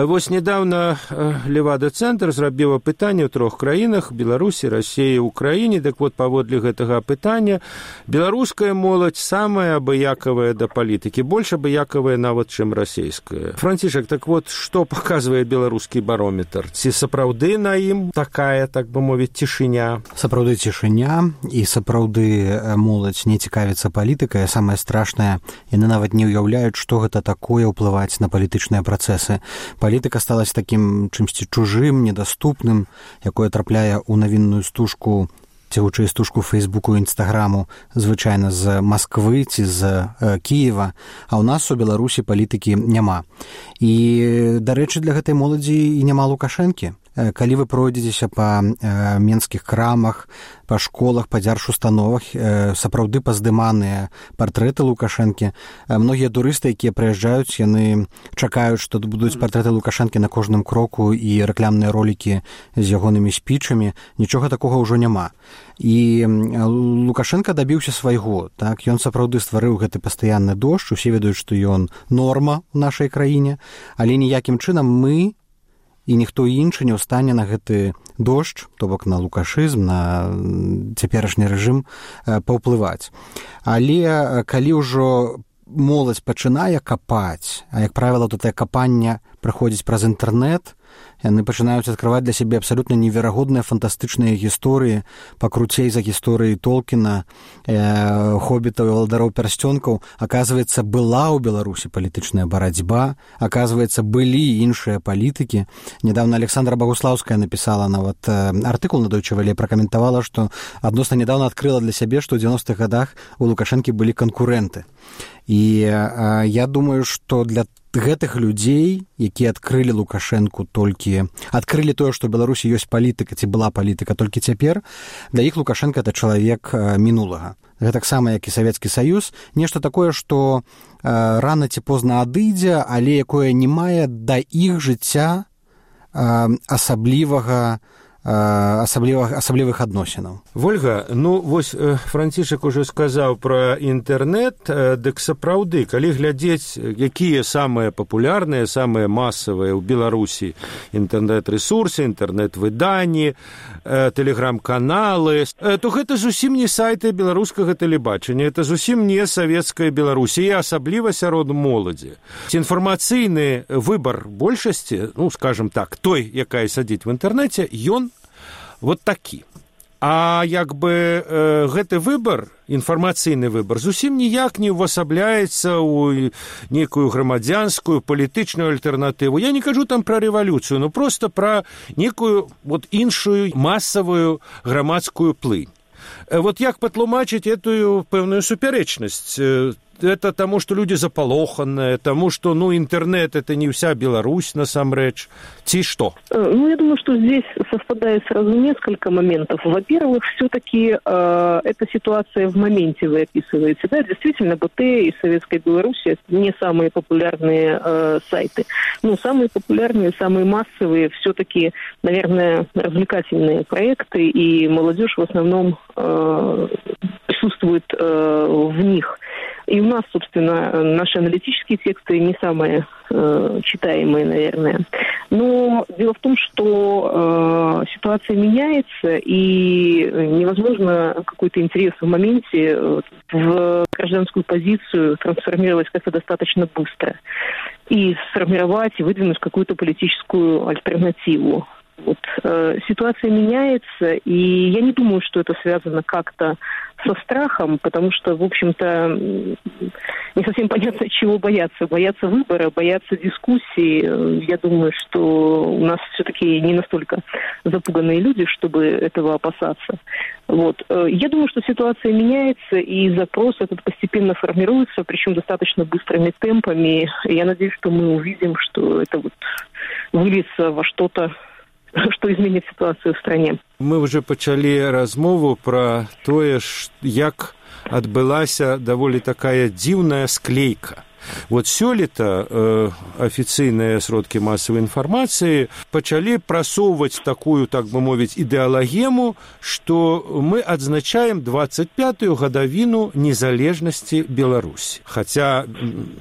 Вось недавно Левада-цэнтр зрабіў апытанне ў трох краінах, Беларусі, Расіі, Украіне. Дык вот, паводле гэтага апытання, беларуская моладзь самая абыякавая да палітыкі, больш абыякавая нават, чым расейская. Францішак, так вот, што паказвае беларускі барометр? Ці сапраўды на ім такая, так бы мовіць, цішыня? Сапраўды цішыня, і сапраўды моладзь не цікавіцца палітыкай, а самае страшнае, яны нават не ўяўляюць, што гэта такое ўплываць на палітычныя працэсы. Палітыка сталася такім чымсьці чужым, недаступным, якое трапляе ў навінную стужку, ці хутчэй стужку Фейсбуку і Інстаграму, звычайна з Масквы ці з э, Кіева, а ў нас у Беларусі палітыкі няма. І, дарэчы, для гэтай моладзі і няма Лукашэнкі. калі вы пройдзецеся па менскіх крамах, па школах, па дзяржустановах, сапраўды паздыманыя партрэты Лукашэнкі. Многія турысты, якія прыязджаюць, яны чакаюць, што будуць партрэты Лукашэнкі на кожным кроку і рэкламныя ролікі з ягонымі спічамі. Нічога такога ўжо няма. І Лукашенко дабіўся свайго. Так? Ён сапраўды стварыў гэты пастаянны дождж, усе ведаюць, што ён норма ў нашай краіне, але ніякім чынам мы і ніхто іншы не ўстане на гэты дождж, то бок на лукашызм, на цяперашні рэжым паўплываць. Але калі ўжо моладзь пачынае капаць, а як правіла, то тае капанне праходзіць праз інтэрнэт, яны пачынаюць адкрываць для сябе абсалютна неверагодныя фантастычныя гісторыі, пакруцей за гісторыі Толкіна, э, хоббітаў і валадароў пярсцёнкаў. Аказваецца, была ў Беларусі палітычная барацьба, аказваецца, былі іншыя палітыкі. Недавно Александра Богуслаўская напісала нават э, артыкул на Deutsche Welle, пракаментавала, што адносна недавно адкрыла для сябе, што ў дзевяностых гадах у Лукашэнкі былі канкурэнты. І э, я думаю, што для гэтых людзей, якія адкрылі Лукашэнку толькі, адкрылі тое, што ў Беларусі ёсць палітыка, ці была палітыка толькі цяпер, для іх Лукашенко — это чалавек мінулага. Гэтаксама, як і Савецкі Саюз, нешта такое, што э, рана ці позна адыдзе, але якое не мае да іх жыцця э, асаблівага асаблівых, асаблівых адносінаў. Вольга, ну вось Францішак ужо сказаў пра інтэрнэт, дык сапраўды, калі глядзець, якія самыя папулярныя, самыя масавыя ў Беларусі інтэрнэт-рэсурсы, інтэрнэт-выданні, тэлеграм-каналы, то гэта зусім не сайты беларускага тэлебачання, это зусім не савецкая Беларусь, і асабліва сярод моладзі. Інфармацыйны выбар большасці, ну, скажем так, той, якая сядзіць в інтэрнэце, ён вот такі. А як бы э, гэты выбар, інфармацыйны выбар, зусім ніяк не ўвасабляецца ў некую грамадзянскую палітычную альтэрнатыву. Я не кажу там пра рэвалюцыю, но просто пра некую вот іншую масавую грамадскую плынь. Э, вот як патлумачыць эту пэўную супярэчнасць? Э, это тому, что люди заполоханные, тому, что, ну, интернет — это не вся Беларусь, насамрэч, ці что? Ну, я думаю, что здесь совпадает сразу несколько моментов. Во-первых, все-таки э, эта ситуация в моменте вы описываете. Да, действительно, БТ и Советская Беларусь — не самые популярные э, сайты. Ну, самые популярные, самые массовые все-таки, наверное, развлекательные проекты, и молодежь в основном э, присутствует э, в них. И у нас, собственно, наши аналитические тексты не самые э, читаемые, наверное. Но дело в том, что э, ситуация меняется, и невозможно какой-то интерес в моменте в гражданскую позицию трансформировать как-то достаточно быстро. И сформировать, и выдвинуть какую-то политическую альтернативу. Вот, э, ситуация меняется, и я не думаю, что это связано как-то со страхом, потому что, в общем-то, не совсем понятно, чего бояться. Бояться выбора, бояться дискуссии. Я думаю, что у нас все-таки не настолько запуганные люди, чтобы этого опасаться. Вот. Я думаю, что ситуация меняется, и запрос этот постепенно формируется, причем достаточно быстрыми темпами. Я надеюсь, что мы увидим, что это вот выльется во что-то, што зменіць сітуацыю ў стране. Мы ўжо пачалі размову пра тое, як адбылася даволі такая дзіўная склейка. Вот сёлета э, афіцыйныя сродкі масавай інфармацыі пачалі прасоўваць такую, так бы мовіць, ідэалагему, што мы адзначаем двадцать пятую гадавіну незалежнасці Беларусі. Хаця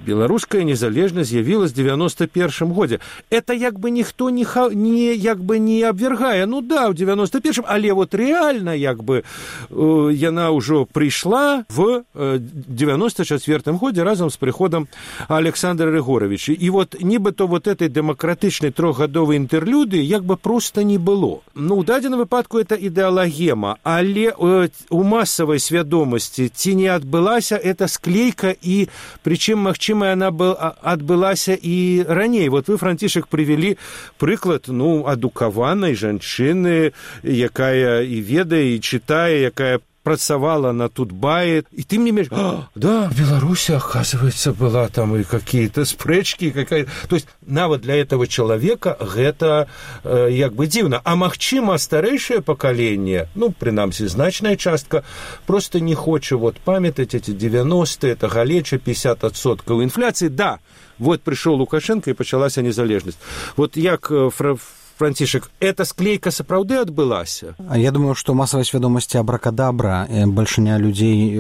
беларуская незалежнасць з'явілась в девяносто первом годзе. Это як бы ніхто не, не, як бы не абвяргае. Ну да, ў девяносто первом, але вот реально як бы э, яна ўжо прыйшла в э, девяносто четвёртым годзе разам з прыходам Александра Григоровича. И вот нібито вот этой демократичной трохгадовой интерлюдии як бы просто не было. Ну, у дадзеным выпадку это ідэалагема, але э, у массовой свядомости ці не адбылася эта склейка, и причем, магчыма, она был, адбылася и раней. Вот вы, Францішак, привели прыклад, ну, адукаванай жанчыны, якая и ведае, и читае, якая працавала на Тутбае, і ты мне менш, а, да, в Беларуси, оказывается, была там и какие-то спрэчки, какая-то... То есть нават для этого человека гэта э, як бы дзіўна. А магчыма, старэйшае пакаленне, ну, прынамсі, значная частка, просто не хоча вот памятаць эти девяностые, это галеча, пятьдесят адсоткаў инфляции. Да, вот пришел Лукашенко и пачалася незалежнасць. Вот як фра... Францішак, эта склейка сапраўды адбылася? Я думаю, што масавай свядомасці абракадабра, бальшыня людзей,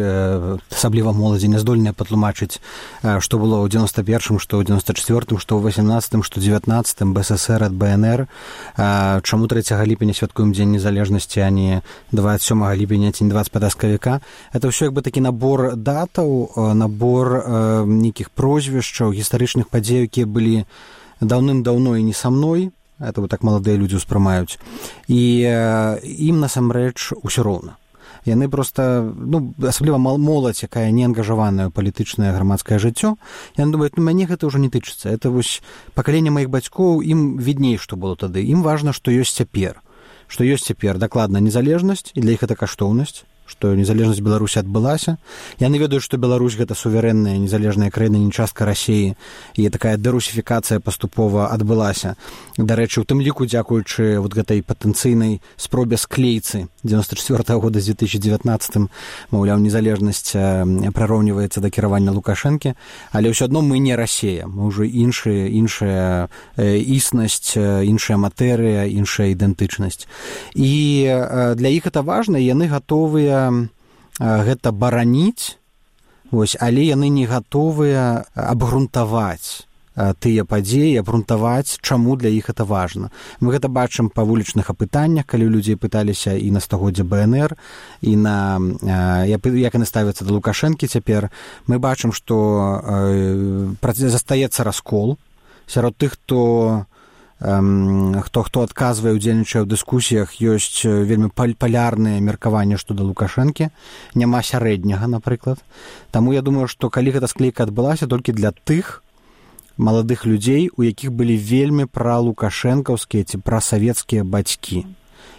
асабліва моладзі, не здольная патлумачыць, што было ў девяносто первым, што ў девяносто четвёртым, што ў восемнадцатым, што ў девятнадцатым, БССР ад БНР. Чаму трэцяга ліпеня святкуем Дзень незалежнасці, а не двадцать сёмага ліпеня ці не двадцать пятага сакавіка? Это ўсё як бы такі набор датаў, набор нейкіх прозвішчаў, гістарычных падзей, якія былі даўным-даўно і не са мной. Это вот так маладыя людзі ўспрымаюць. І э, ім насамрэч усё роўна. Яны проста, ну, асабліва моладзь, якая не ангажаваная ў палітычнае грамадскае жыццё, яны думаюць, ну, мяне гэта ўжо не тычыцца. Это вось пакаленне маіх бацькоў, ім відней, што было тады. Ім важна, што ёсць цяпер. Што ёсць цяпер дакладна незалежнасць, і для іх гэта каштоўнасць, што незалежнасць Беларусі адбылася. Яны ведаюць, што Беларусь гэта суверэнная, незалежная краіна, не частка Расіі, і такая дэрусіфікацыя паступова адбылася. Дарэчы, у тым ліку, дзякуючы вот гэтай патэнцыйнай спробе склейцы девяносто четвёртого года з две тысячи девятнадцатым, маўляў, незалежнасць прыроўніваецца да кіравання Лукашэнкі, але ўсё адно мы не Расія, мы ўжо іншая, іншая існасць, іншая матэрыя, іншая ідэнтычнасць. І для іх гэта важна, яны гатовыя гэта бараніць, вось, але яны не гатовыя абгрунтаваць тыя падзеі, абгрунтаваць, чаму для іх гэта важна. Мы гэта бачым па вулічных апытаннях, калі людзей пыталіся і на стагоддзе БНР, і на як яны ставяцца да Лукашэнкі цяпер. Мы бачым, што застаецца раскол сярод тых, хто хто хто адказвае, удзельнічае ў дыскусіях, ёсць вельмі палярныя меркаванні што да Лукашэнкі, няма сярэдняга, напрыклад. Таму я думаю, што калі гэта склейка адбылася, толькі для тых маладых людзей, у якіх былі вельмі пралукашэнкаўскія ці прасавецкія бацькі.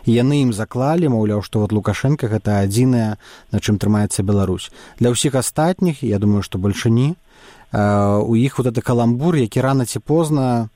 І яны ім заклалі, маўляў, што вот Лукашэнка гэта адзінае, на чым трымаецца Беларусь. Для ўсіх астатніх, я думаю, што бальшыні, у іх вот гэты каламбур, які рана ці позна,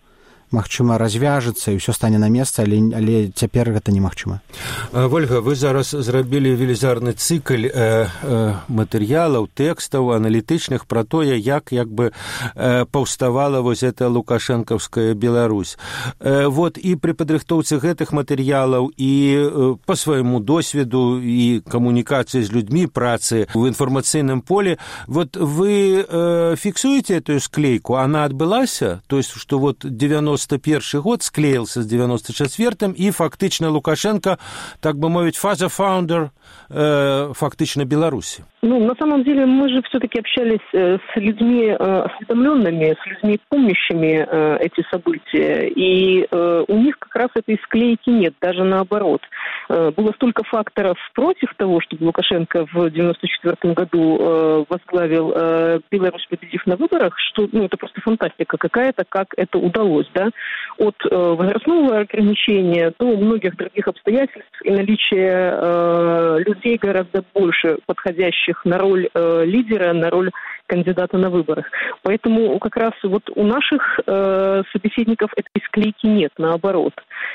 магчыма, развяжецца і ўсё стане на месца, але, але цяпер гэта немагчыма. Вольга, вы зараз зрабілі велізарны цыкль э, э, матэрыялаў, тэкстаў, аналітычных пра тое, як як бы э, паўставала вось эта лукашэнкаўская Беларусь. Э, вот і пры падрыхтоўцы гэтых матэрыялаў і э, па свайму досведу і камунікацыі з людзьмі, працы ў інфармацыйным поле, вот вы э, фіксуеце эту склейку, она адбылася? То есть, што вот девяносто первый год склеился с девяносто четвёртым, и фактично Лукашенко, так бы мовить, фаза фаундер э, фактично Беларуси. Ну, на самом деле, мы же все-таки общались э, с людьми э, осведомленными, с людьми, помнящими э, эти события, и э, у них как раз этой склейки нет, даже наоборот. Э, было столько факторов против того, чтобы Лукашенко в девяносто четвёртом году э, возглавил э, Беларусь, победив на выборах, что, ну, это просто фантастика какая-то, как это удалось, да, от э, возрастного ограничения до многих других обстоятельств и наличия э, людей гораздо больше подходящих на роль э, лидера, на роль кандидата на выборах. Поэтому как раз вот у наших э, собеседников этой склейки нет, наоборот.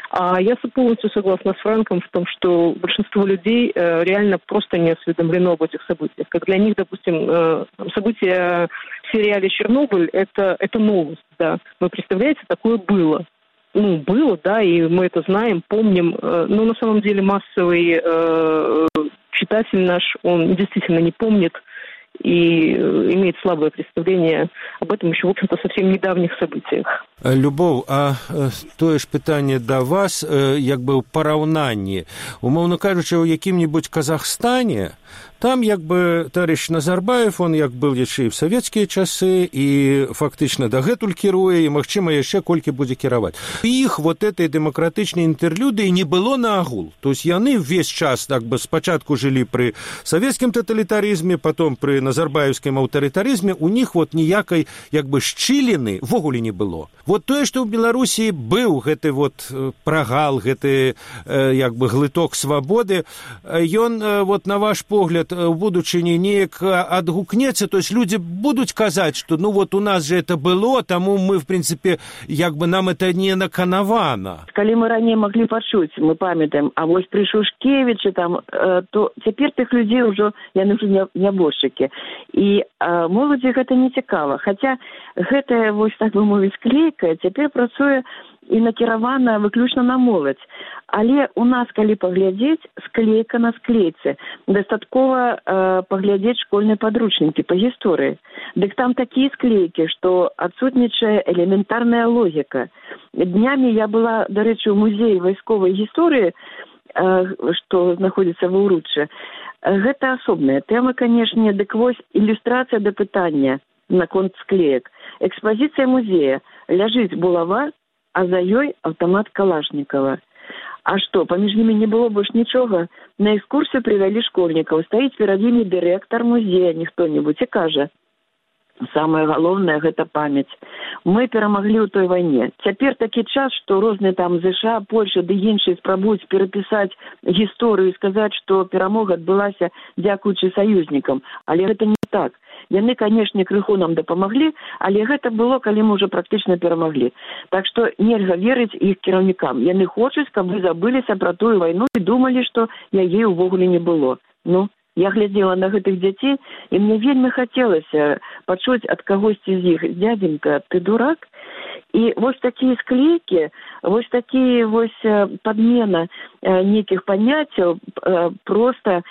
А я полностью согласна с Франком в том, что большинство людей э, реально просто не осведомлено об этих событиях. Как для них, допустим, э, события в сериале «Чернобыль» это, — это новость, да. Вы представляете, такое было. Ну, было, да, и мы это знаем, помним, э, но на самом деле массовый э, читатель наш, он действительно не помнит и имеет слабое представление об этом еще, в общем-то, совсем недавних событиях. Любоў, а тое ж пытанне да вас, як бы ў параўнанні. Умоўна кажучы, у якім-нибудь Казахстане, там як бы товарищ Назарбаев, он як был яшчэ і в савецкія часы, і фактычна дагэтуль кіруе, і, магчыма, яшчэ колькі будзе кіраваць. Іх вот этой дэмакратычнай інтэрлюдыі не было на агул. То есть яны ўвесь час так бы спачатку жылі пры савецкім таталітарызме, потом пры назарбаевскім аўтарытарызме, у них вот ніякай як бы шчыліны ввогуле не было. Вот тое, што ў Беларусі быў гэты вот прагал, гэты як бы глыток свабоды, ён вот на ваш погляд у будучыні неяк адгукнецца, то есть людзі будуць казаць, што ну вот у нас же это было, таму мы в принципе як бы нам это не наканавана. Калі мы раней маглі пачуць, мы памятаем, а вось пры Шушкевічы там, то цяпер тых людзей ўжо яны ўжо нябожчыкі. І а, моладзі гэта не цікава. Хаця гэтая вось так бы мовіць склейка цяпер працуе і накіравана выключна на моладзь. Але у нас, калі паглядзець, склейка на склейцы. Дастаткова э, паглядзець школьныя падручнікі па гісторыі. Дык там такія склейкі, што адсутнічае элементарная логіка. Днямі я была, дарэчы, у музеі вайсковай гісторыі, э, што знаходзіцца ва ўруччы. Гэта асобная тэма, канешне, дык вось ілюстрацыя да пытання наконт склеек. Экспазіцыя музея. Ляжыць булава, а за ёй аўтамат Калашнікава. А што, паміж імі не было больш нічога? На экскурсію прывялі школьнікаў. Стаіць перад імі дырэктар музея, ніхто-небудзь, і кажа, самае галоўнае – гэта памяць. Мы перамаглі ў той вайне. Цяпер такі час, што розныя там ЗША, Польша ды іншыя спрабуюць перапісаць гісторыю і сказаць, што перамога адбылася дзякуючы саюзнікам. Але гэта не так. Яны, канешне, крыху нам дапамаглі, але гэта было, калі мы ўжо практычна перамаглі. Так што нельга верыць іх кіраўнікам. Яны хочуць, каб вы забыліся пра тую вайну і думалі, што яе ўвогуле не было. Ну, я глядзела на гэтых дзяцей, і мне вельмі хацелася пачуць ад кагосьці з іх: «Дядзенька, ты дурак?» І вось такія склейкі, вось такія вось падмена нейкіх паняццяў, проста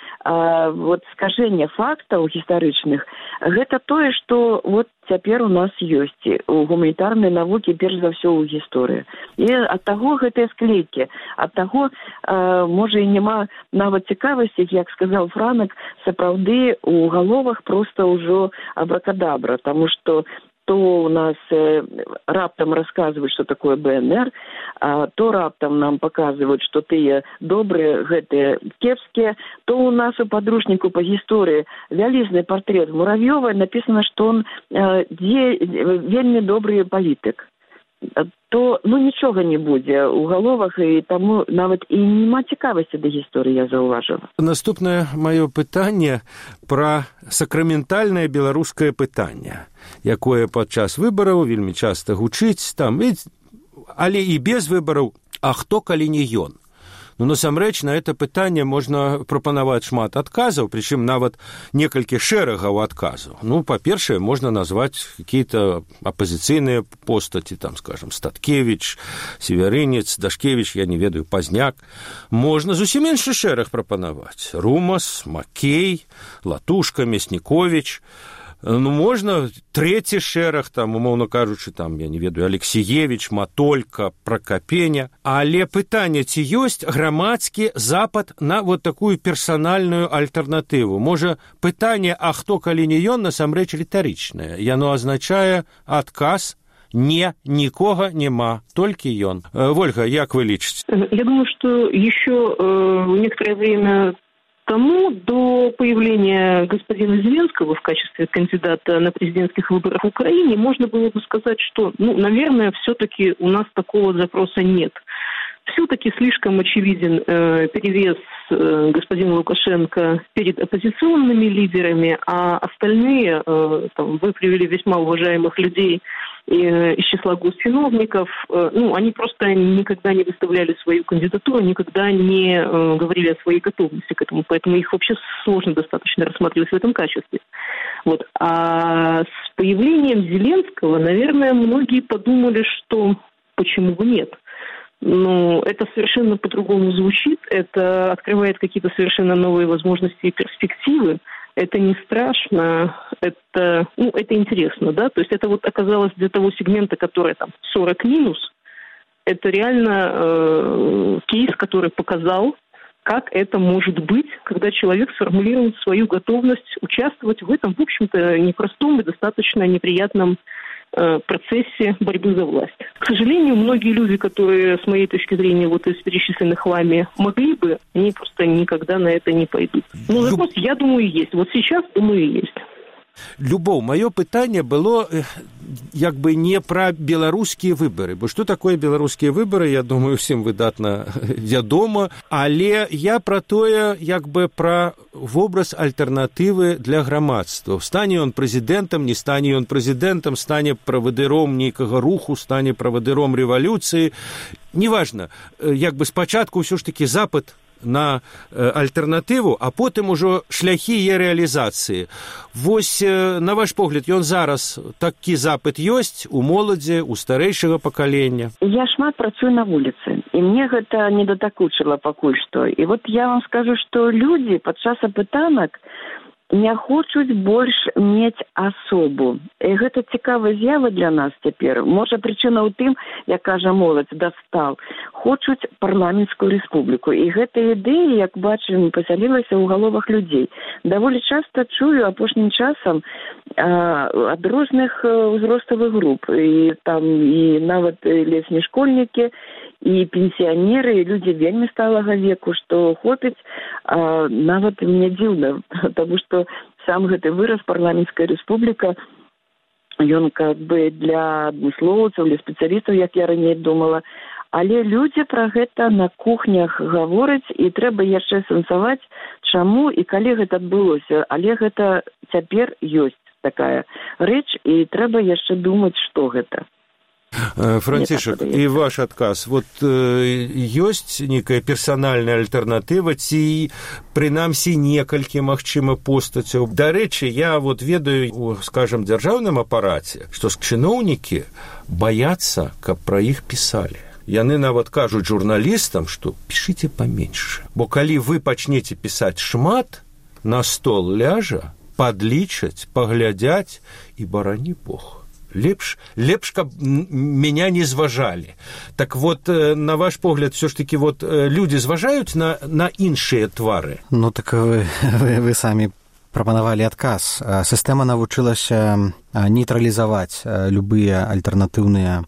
вот скажэнне фактаў гістарычных, гэта тое, што вот цяпер у нас ёсць у гуманітарнай навукі, перш за ўсё ў гісторыі. І ад таго гэтыя склейкі, ад таго, можа, і няма нават цікавасці, як сказаў Франак, сапраўды у галовах проста ўжо абракадабра, таму што то у нас э, раптам расказваюць, што такое БНР, а то раптам нам паказваюць, што тыя добрыя, гэтыя кепскія, то у нас у падручніку па гісторыі вялізны партрэт Муравьёва, напісана, што он э, дзе, вельмі добры палітык. То ну нічога не будзе ў галовах, і таму нават і няма цікавасці да гісторыі, я заўважыла. Наступнае маё пытанне пра сакраментальнае беларускае пытанне, якое падчас выбараў вельмі часта гучыць там, але і без выбараў, а хто калі не ён. Ну, насамрэч, на это пытанне можна прапанаваць шмат адказаў, прычым нават некалькі шэрагаў адказаў. Ну, па-першае, можна назваць какие-то апозіцыйныя постаці, там, скажем, Статкевич, Северынец, Дашкевич, я не ведаю, Пазняк. Можна зусім іншы шэраг прапанаваць. Румас, Макей, Латушка, Мяснікович. Ну, можна трэці шэраг, там, умоўна кажучы, там, я не ведаю, Алексеевич, Матолька, Прокопеня. Але пытанне, ці ёсць грамадскі запад на вот такую персанальную альтэрнатыву? Можа, пытанне, а хто калі не ён, насамрэч рытарычнае. Яно азначае адказ: не, нікога няма, толькі ён. Вольга, як вы лічыце? Я думаю, что еще э, некоторое время тому, до появления господина Зеленского в качестве кандидата на президентских выборах в Украине, можно было бы сказать, что, ну, наверное, все-таки у нас такого запроса нет. Все-таки слишком очевиден э, перевес э, господина Лукашенко перед оппозиционными лидерами, а остальные, э, там, вы привели весьма уважаемых людей из числа госчиновников, ну, они просто никогда не выставляли свою кандидатуру, никогда не э, говорили о своей готовности к этому, поэтому их вообще сложно достаточно рассматривать в этом качестве. Вот. А с появлением Зеленского, наверное, многие подумали, что почему бы нет. Но это совершенно по-другому звучит, это открывает какие-то совершенно новые возможности и перспективы. Это не страшно, это, ну, это интересно, да, то есть это вот оказалось для того сегмента, который там сорок минус, это реально э, кейс, который показал, как это может быть, когда человек сформулирует свою готовность участвовать в этом, в общем-то, непростом и достаточно неприятном э, процессе борьбы за власть. К сожалению, многие люди, которые, с моей точки зрения, вот из перечисленных вами могли бы, они просто никогда на это не пойдут. Но запрос, я думаю, есть. Вот сейчас, думаю, есть. Любоў, маё пытанне было як бы не пра беларускія выбары, бо што такое беларускія выбары, я думаю, усім выдатна вядома, але я пра тое, як бы пра вобраз альтэрнатывы для грамадства. Стане ён прэзідэнтам, не стане ён прэзідэнтам, стане правадыром нейкага руху, стане правадыром рэвалюцыі. Неважна, як бы спачатку ўсё ж такі запыт на альтэрнатыву, а потым ужо шляхі яе рэалізацыі. Вось, на ваш погляд, ён зараз такі запыт ёсць у моладзі, у старэйшага пакалення? Я шмат працую на вуліцы, і мне гэта не датакучыла пакуль што. І вот я вам скажу, што людзі падчас апытанак не хочуць больш мець асобу. І гэта цікавая з'ява для нас цяпер. Можа, прычына ў тым, як кажа моладзь, дастал. Хочуць парламенцкую рэспубліку. І гэта ідэя, як бачым, пасялілася ў галовах людзей. Даволі часта чую апошнім часам а, ад розных узроставых груп. І там і нават лесні школьнікі, і пенсіянеры, і людзі вельмі сталага веку, што хопіць, а, нават мне дзіўна, таму што сам гэты выраз парламенцкая рэспубліка, ён как бы для адмыслоўцаў, для спецыялістаў, як я раней думала, але людзі пра гэта на кухнях гавораць, і трэба яшчэ сэнсаваць, чаму і калі гэта адбылося, але гэта цяпер ёсць такая рэч, і трэба яшчэ думаць, што гэта. Францішак, і ваш адказ. Вот ёсць нейкая персанальная альтэрнатыва ці, прынамсі, некалькі, магчыма, постацяў. Дарэчы, я вот ведаю у, скажем, дзяржаўным апараце, што чыноўнікі баяцца, каб пра іх пісалі. Яны нават кажуць журналістам, што пішыце паменьш. Бо калі вы пачнеце пісаць шмат, на стол ляжа, падлічаць, паглядзяць і барані Бог. Лепш, лепш, каб меня не зважалі. Так вот, на ваш погляд, все ж таки, вот, люди зважаюць на, на іншыя твары? Ну, так вы, вы, вы самі прапанавалі адказ. Сістэма навучылася нейтралізаваць любыя альтэрнатыўныя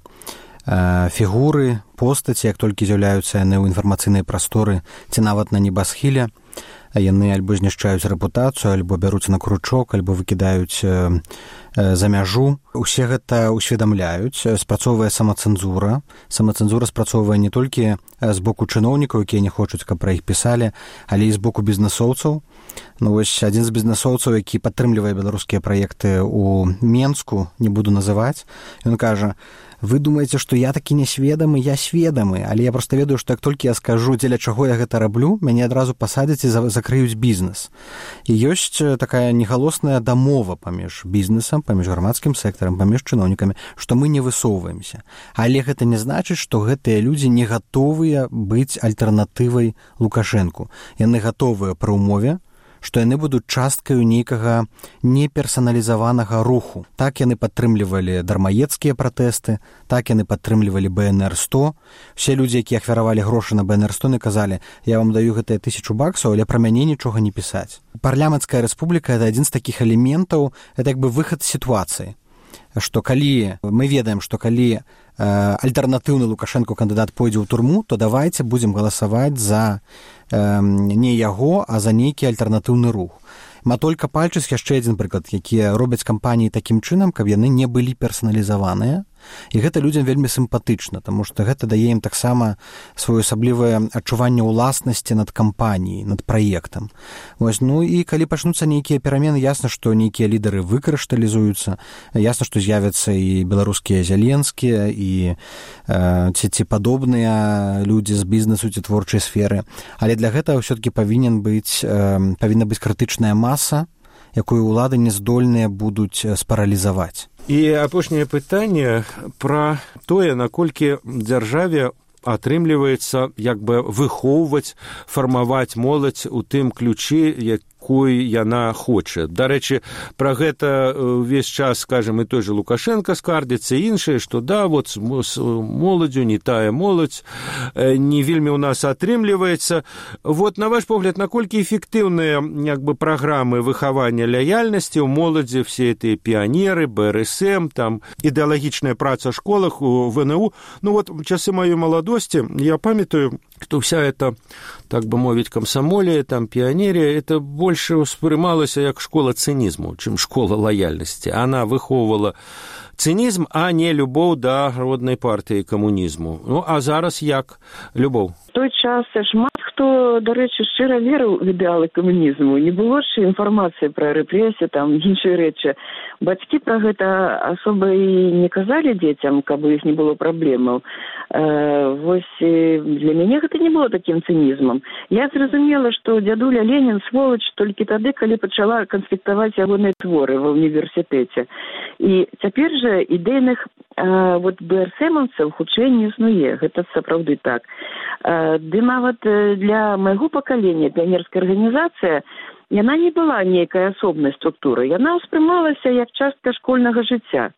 фігуры, постаці, як толькі з'яўляюцца яны ў інфармацыйнай прасторы ці нават на небасхіле. Яны альбо знішчаюць рэпутацыю, альбо бяруць на кручок, альбо выкідаюць э, э, за мяжу. Усе гэта ўсведамляюць, спрацоўвае самацэнзура. Самацэнзура спрацоўвае не толькі з боку чыноўнікаў, якія не хочуць, каб пра іх пісалі, але і з боку бізнэсоўцаў. Ну, вось адзін з бізнэсоўцаў, які падтрымлівае беларускія праекты ў Менску, не буду называць, ён кажа: вы думаеце, што я такі несведамы, я сведамы, але я проста ведаю, што як толькі я скажу, дзеля чаго я гэта раблю, мяне адразу пасадзяць і закрыюць бізнес. І ёсць такая негалосная дамова паміж бізнесам, паміж грамадскім сектарам, паміж чыноўнікамі, што мы не высоўваемся. Але гэта не значыць, што гэтыя людзі не гатовыя быць альтэрнатывай Лукашэнку. Яны гатовыя пры ўмове, што яны будуць часткаю нейкага неперсаналізаванага руху. Так яны падтрымлівалі дармаедскія пратэсты, так яны падтрымлівалі бэ эн эр сто. Усе людзі, якія ахвяравалі грошы на бэ эн эр сто, не казалі: я вам даю гэтыя тысячу баксаў, але пра мяне нічога не пісаць. Парламенцкая рэспубліка — это адзін з такіх элементаў, это як бы выхад з сітуацыі. Што калі мы ведаем, што калі э, альтэрнатыўны Лукашэнку кандыдат пойдзе ў турму, то давайце будзем галасаваць за э, не яго, а за нейкі альтэрнатыўны рух. Матолька Пальчыц — яшчэ адзін прыклад, якія робяць кампаніі такім чынам, каб яны не былі персаналізаваныя. І гэта людзям вельмі сімпатычна, таму што гэта дае ім таксама своеасаблівае адчуванне ўласнасці над кампаніяй, над праектам. Вось, ну і калі пачнуцца нейкія перамены, ясна, што нейкія лідары выкрышталізуюцца, ясна, што з'явяцца і беларускія Зяленскія, і э, ці, ці падобныя людзі з бізнесу ці творчай сферы. Але для гэтага ўсё-такі павінен быць, э, павінна быць крытычная маса, якую ўлады не здольныя будуць спаралізаваць. І апошняе пытанне пра тое, наколькі дзяржаве атрымліваецца як бы выхоўваць, фармаваць моладзь у тым ключы, якой яна хоча. Дарэчы, пра гэта ўвесь час, скажем, і той же Лукашенко скардзіцца, іншыя, што да, вот з моладзю не тая моладзь, не вельмі ў нас атрымліваецца. Вот, на ваш погляд, наколькі эфектыўныя як бы праграмы выхавання лаяльнасці ў моладзі, все эти піянеры, бэ эр эс эм, там ідэалагічная праца ў школах, у вэ эн у. Ну вот, в часы маёй маладосці я памятаю, што вся эта, так бы мовіць, камсамолія, там піянерія, это больш больш успрымалася як школа цынізму, чым школа лаяльнасці. Она выхоўвала цынізм, а не любоў да роднай партыі камунізму. Ну, а зараз як любоў? В той час шмат хто, до речі, щиро вірив в ідеали комунізму. Не було ж інформації про репресії, там, інші речі. Батьки про гэта особо і не казали дітям, каб у їх не було проблем. Е, ось для мене гэта не було таким цинізмом. Я зрозуміла, що дядуля Ленін сволоч тільки тоді, коли почала конспектувати ягоні твори в університеті. І тепер же ідейних е, вот БРСМовців хутчэй не існуе. Гэта сапраўды так. Е, ды нават для майго пакалення піянерская арганізацыя, яна не была нейкай асобнай структурай. Яна ўспрымалася як частка школьнага жыцця.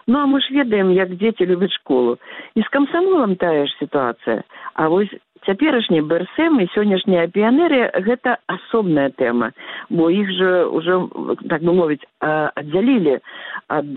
Ну, а мы ж ведаем, як дзеці любяць школу. І з камсамолам тая ж сітуацыя. А вось цяперашні БРСМ і сённяшняя піянерія – гэта асобная тэма, бо іх жа ўжо, так бы мовіць, аддзялілі ад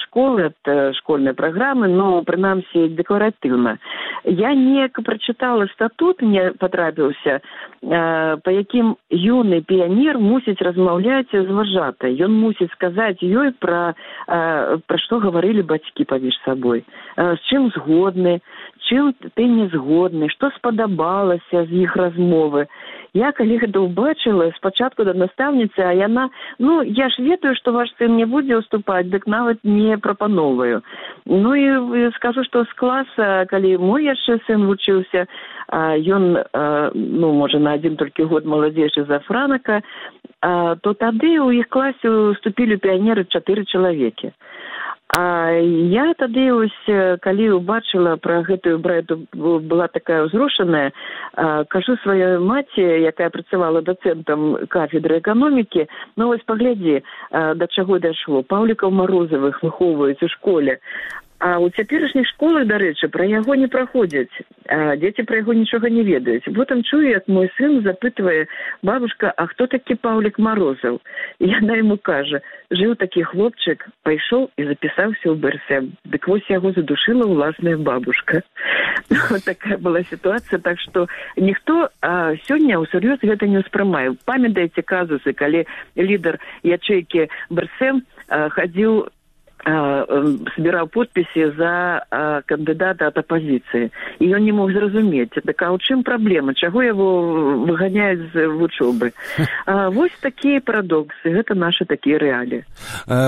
школы, ад школьнай праграмы, но, прынамсі, дэкларатыўна. Я неяк прачытала статут, мне патрапіўся, па якім юны піянер мусіць размаўляць з вожатай. Ён мусіць сказаць ёй пра, пра што гаварылі бацькі паміж сабой, з чым згодны, чым ты не згодны, што спадабалася з іх размовы. Я, калі гэта ўбачыла, спачатку да настаўніцы, а яна, ну, я ж ведаю, што ваш сын не будзе уступаць, дык нават не прапановваю. Ну, і скажу, што з класа, калі мой яшчэ сын вучыўся, ён, ну, можа, на адзін толькі год маладзейшы за Франака, то тады ў іх класе уступілі піянеры чатыры чалавекі. А я тады, ось, калі убачыла пра гэтую брэду, была такая ўзрушаная, кажу сваёй маці, якая працавала дацэнтам кафедры эканомікі, ну вось паглядзі, да чаго дайшло. Паўлікаў Марозавых выхоўваюць у школе. А ў цяперашніх школах, дарэчы, пра яго не праходзяць. Дзеці пра яго нічога не ведаюць. Потым чую, як мой сын запытвае: бабушка, а хто такі Паўлік Марозаў? І яна яму кажа: жыў такі хлопчык, пайшоў і запісаўся ў БРСМ. Дык вось яго задушыла ўласная бабушка. Вот такая была сітуацыя, так што ніхто а, сёння ўсур'ёз гэта не ўспрымае. Памятаеце казусы, калі лідар ячэйкі БРСМ а, хадзіў, собирал подписи за а, кандидата от оппозиции. И он не мог зразумець, так а у чым праблема? Чаго его выганяюць з вучобы? А, вось такія парадоксы, гэта наши такія рэаліі.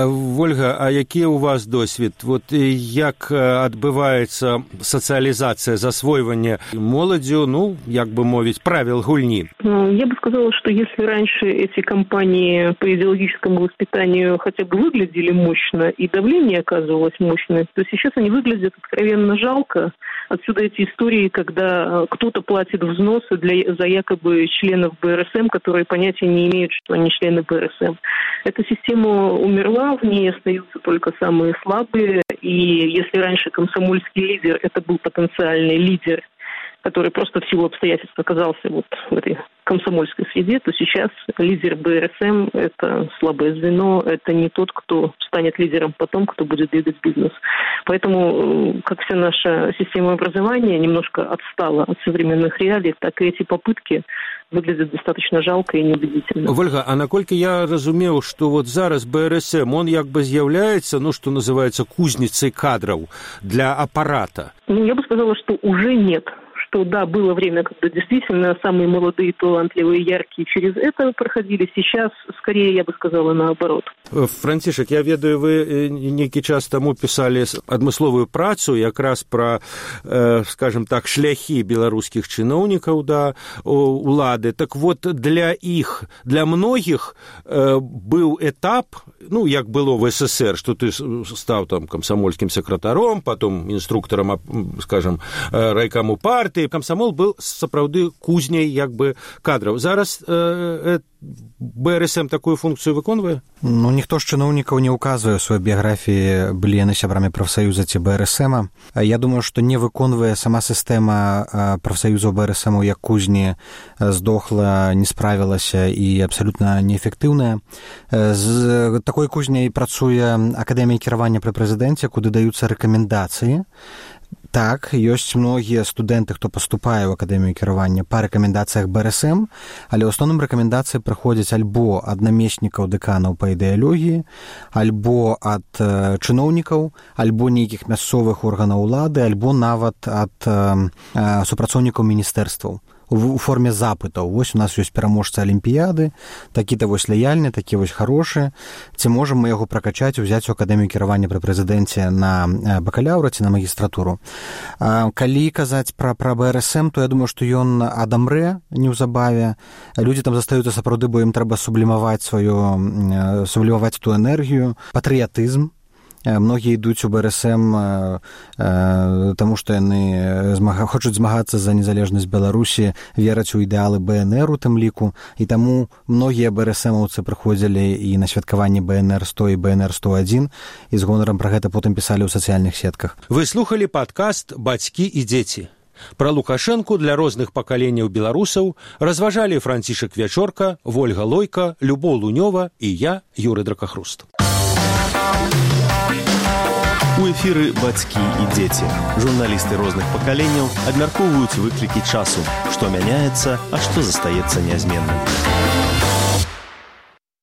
Вольга, а які у вас досвід? Вот як адбываецца сацыялізацыя, засвойванне моладзю, ну, як бы мовіць, правил гульні? Я бы сказала, что если раньше эти кампании по идеологическому воспитанию хотя бы выглядели мощно и давление оказывалось мощное, то сейчас они выглядят откровенно жалко. Отсюда эти истории, когда кто-то платит взносы для, за якобы членов БРСМ, которые понятия не имеют, что они члены БРСМ. Эта система умерла, в ней остаются только самые слабые. И если раньше комсомольский лидер – это был потенциальный лидер, который просто в силу обстоятельств оказался вот в этой комсомольской среде, то сейчас лидер БРСМ – это слабое звено, это не тот, кто станет лидером потом, кто будет двигать бизнес. Поэтому, как вся наша система образования немножко отстала от современных реалий, так и эти попытки выглядят достаточно жалко и неубедительно. Вольга, а наколькі я разумеў, што вот зараз БРСМ, он як бы з'яўляецца, ну, что называется, кузницей кадров для аппарата? Ну, я бы сказала, что уже нет. Что да, было время, когда действительно самые молодые, талантливые, яркие через это проходили. Сейчас, скорее, я бы сказала, наоборот. Францішак, я ведаю, вы нейкі час таму пісалі адмысловую працу якраз пра, э, скажем так, шляхі беларускіх чыноўнікаў да улады. Так вот, для іх, для многіх э, быў этап, ну, як было в СССР, што ты стаў там камсамольскім сакратаром, потом інструктарам, скажем, райкаму партыі. Камсамол был сапраўды кузняй як бы кадраў. Зараз э, э, БРСМ такую функцію выконвае? Ну, ніхто з чыноўнікаў не ўказвае ў сваёй біяграфіі, былі яны сябрамі прафсаюза ці БРСМа. Я думаю, што не выконвае сама сістэма прафсаюзаў БРСМу як кузні, здохла, не справілася і абсалютна неэфектыўная. З такой кузняй працуе Акадэмія кіравання пры прэзідэнце, куды даюцца рэкамендацыі. Так, ёсць многія студэнты, хто паступае ў акадэмію кіравання па рэкамендацыях бэ эр эс эм, але ў асноўным рэкамендацыі прыходзяць альбо ад намеснікаў дэканаў па ідэалогіі, альбо ад э, чыноўнікаў, альбо нейкіх мясцовых органаў улады, альбо нават ад э, э, супрацоўнікаў міністэрстваў у форме запытаў. Вось у нас ёсць пераможцы алімпіяды, такі-то вось лаяльны, такі вось харошы. Ці можам мы яго пракачаць, узяць у акадэмію кіравання пры прэзідэнце на бакалаўра ці на магістратуру. Калі казаць пра, пра бэ эр эс эм, то я думаю, што ён адамрэ неўзабаве. Людзі там застаюцца сапраўды, бо ім трэба сублімаваць сваю, сублімаваць ту энергію, патрыятызм. Многія ідуць у бэ эр эс эм, таму што яны змага, хочуць змагацца за незалежнасць Беларусі, вераць у ідэалы бэ эн эр у тым ліку, і таму многія бэ эр эс эмаўцы прыходзілі і на святкаванне бэ эн эр сто і бэ эн эр сто адзін, і з гонарам пра гэта потым пісалі ў сацыяльных сетках. Вы слухалі падкаст «Бацькі і дзеці». Пра Лукашэнку для розных пакаленняў беларусаў разважалі Францішак Вячорка, Вольга Лойка, Любоў Лунёва і я, Юры Дракахруст. У эфіры «Бацькі і дзеці». Журналісты розных пакаленняў абмяркоўваюць выклікі часу, што мяняецца, а што застаецца нязменным.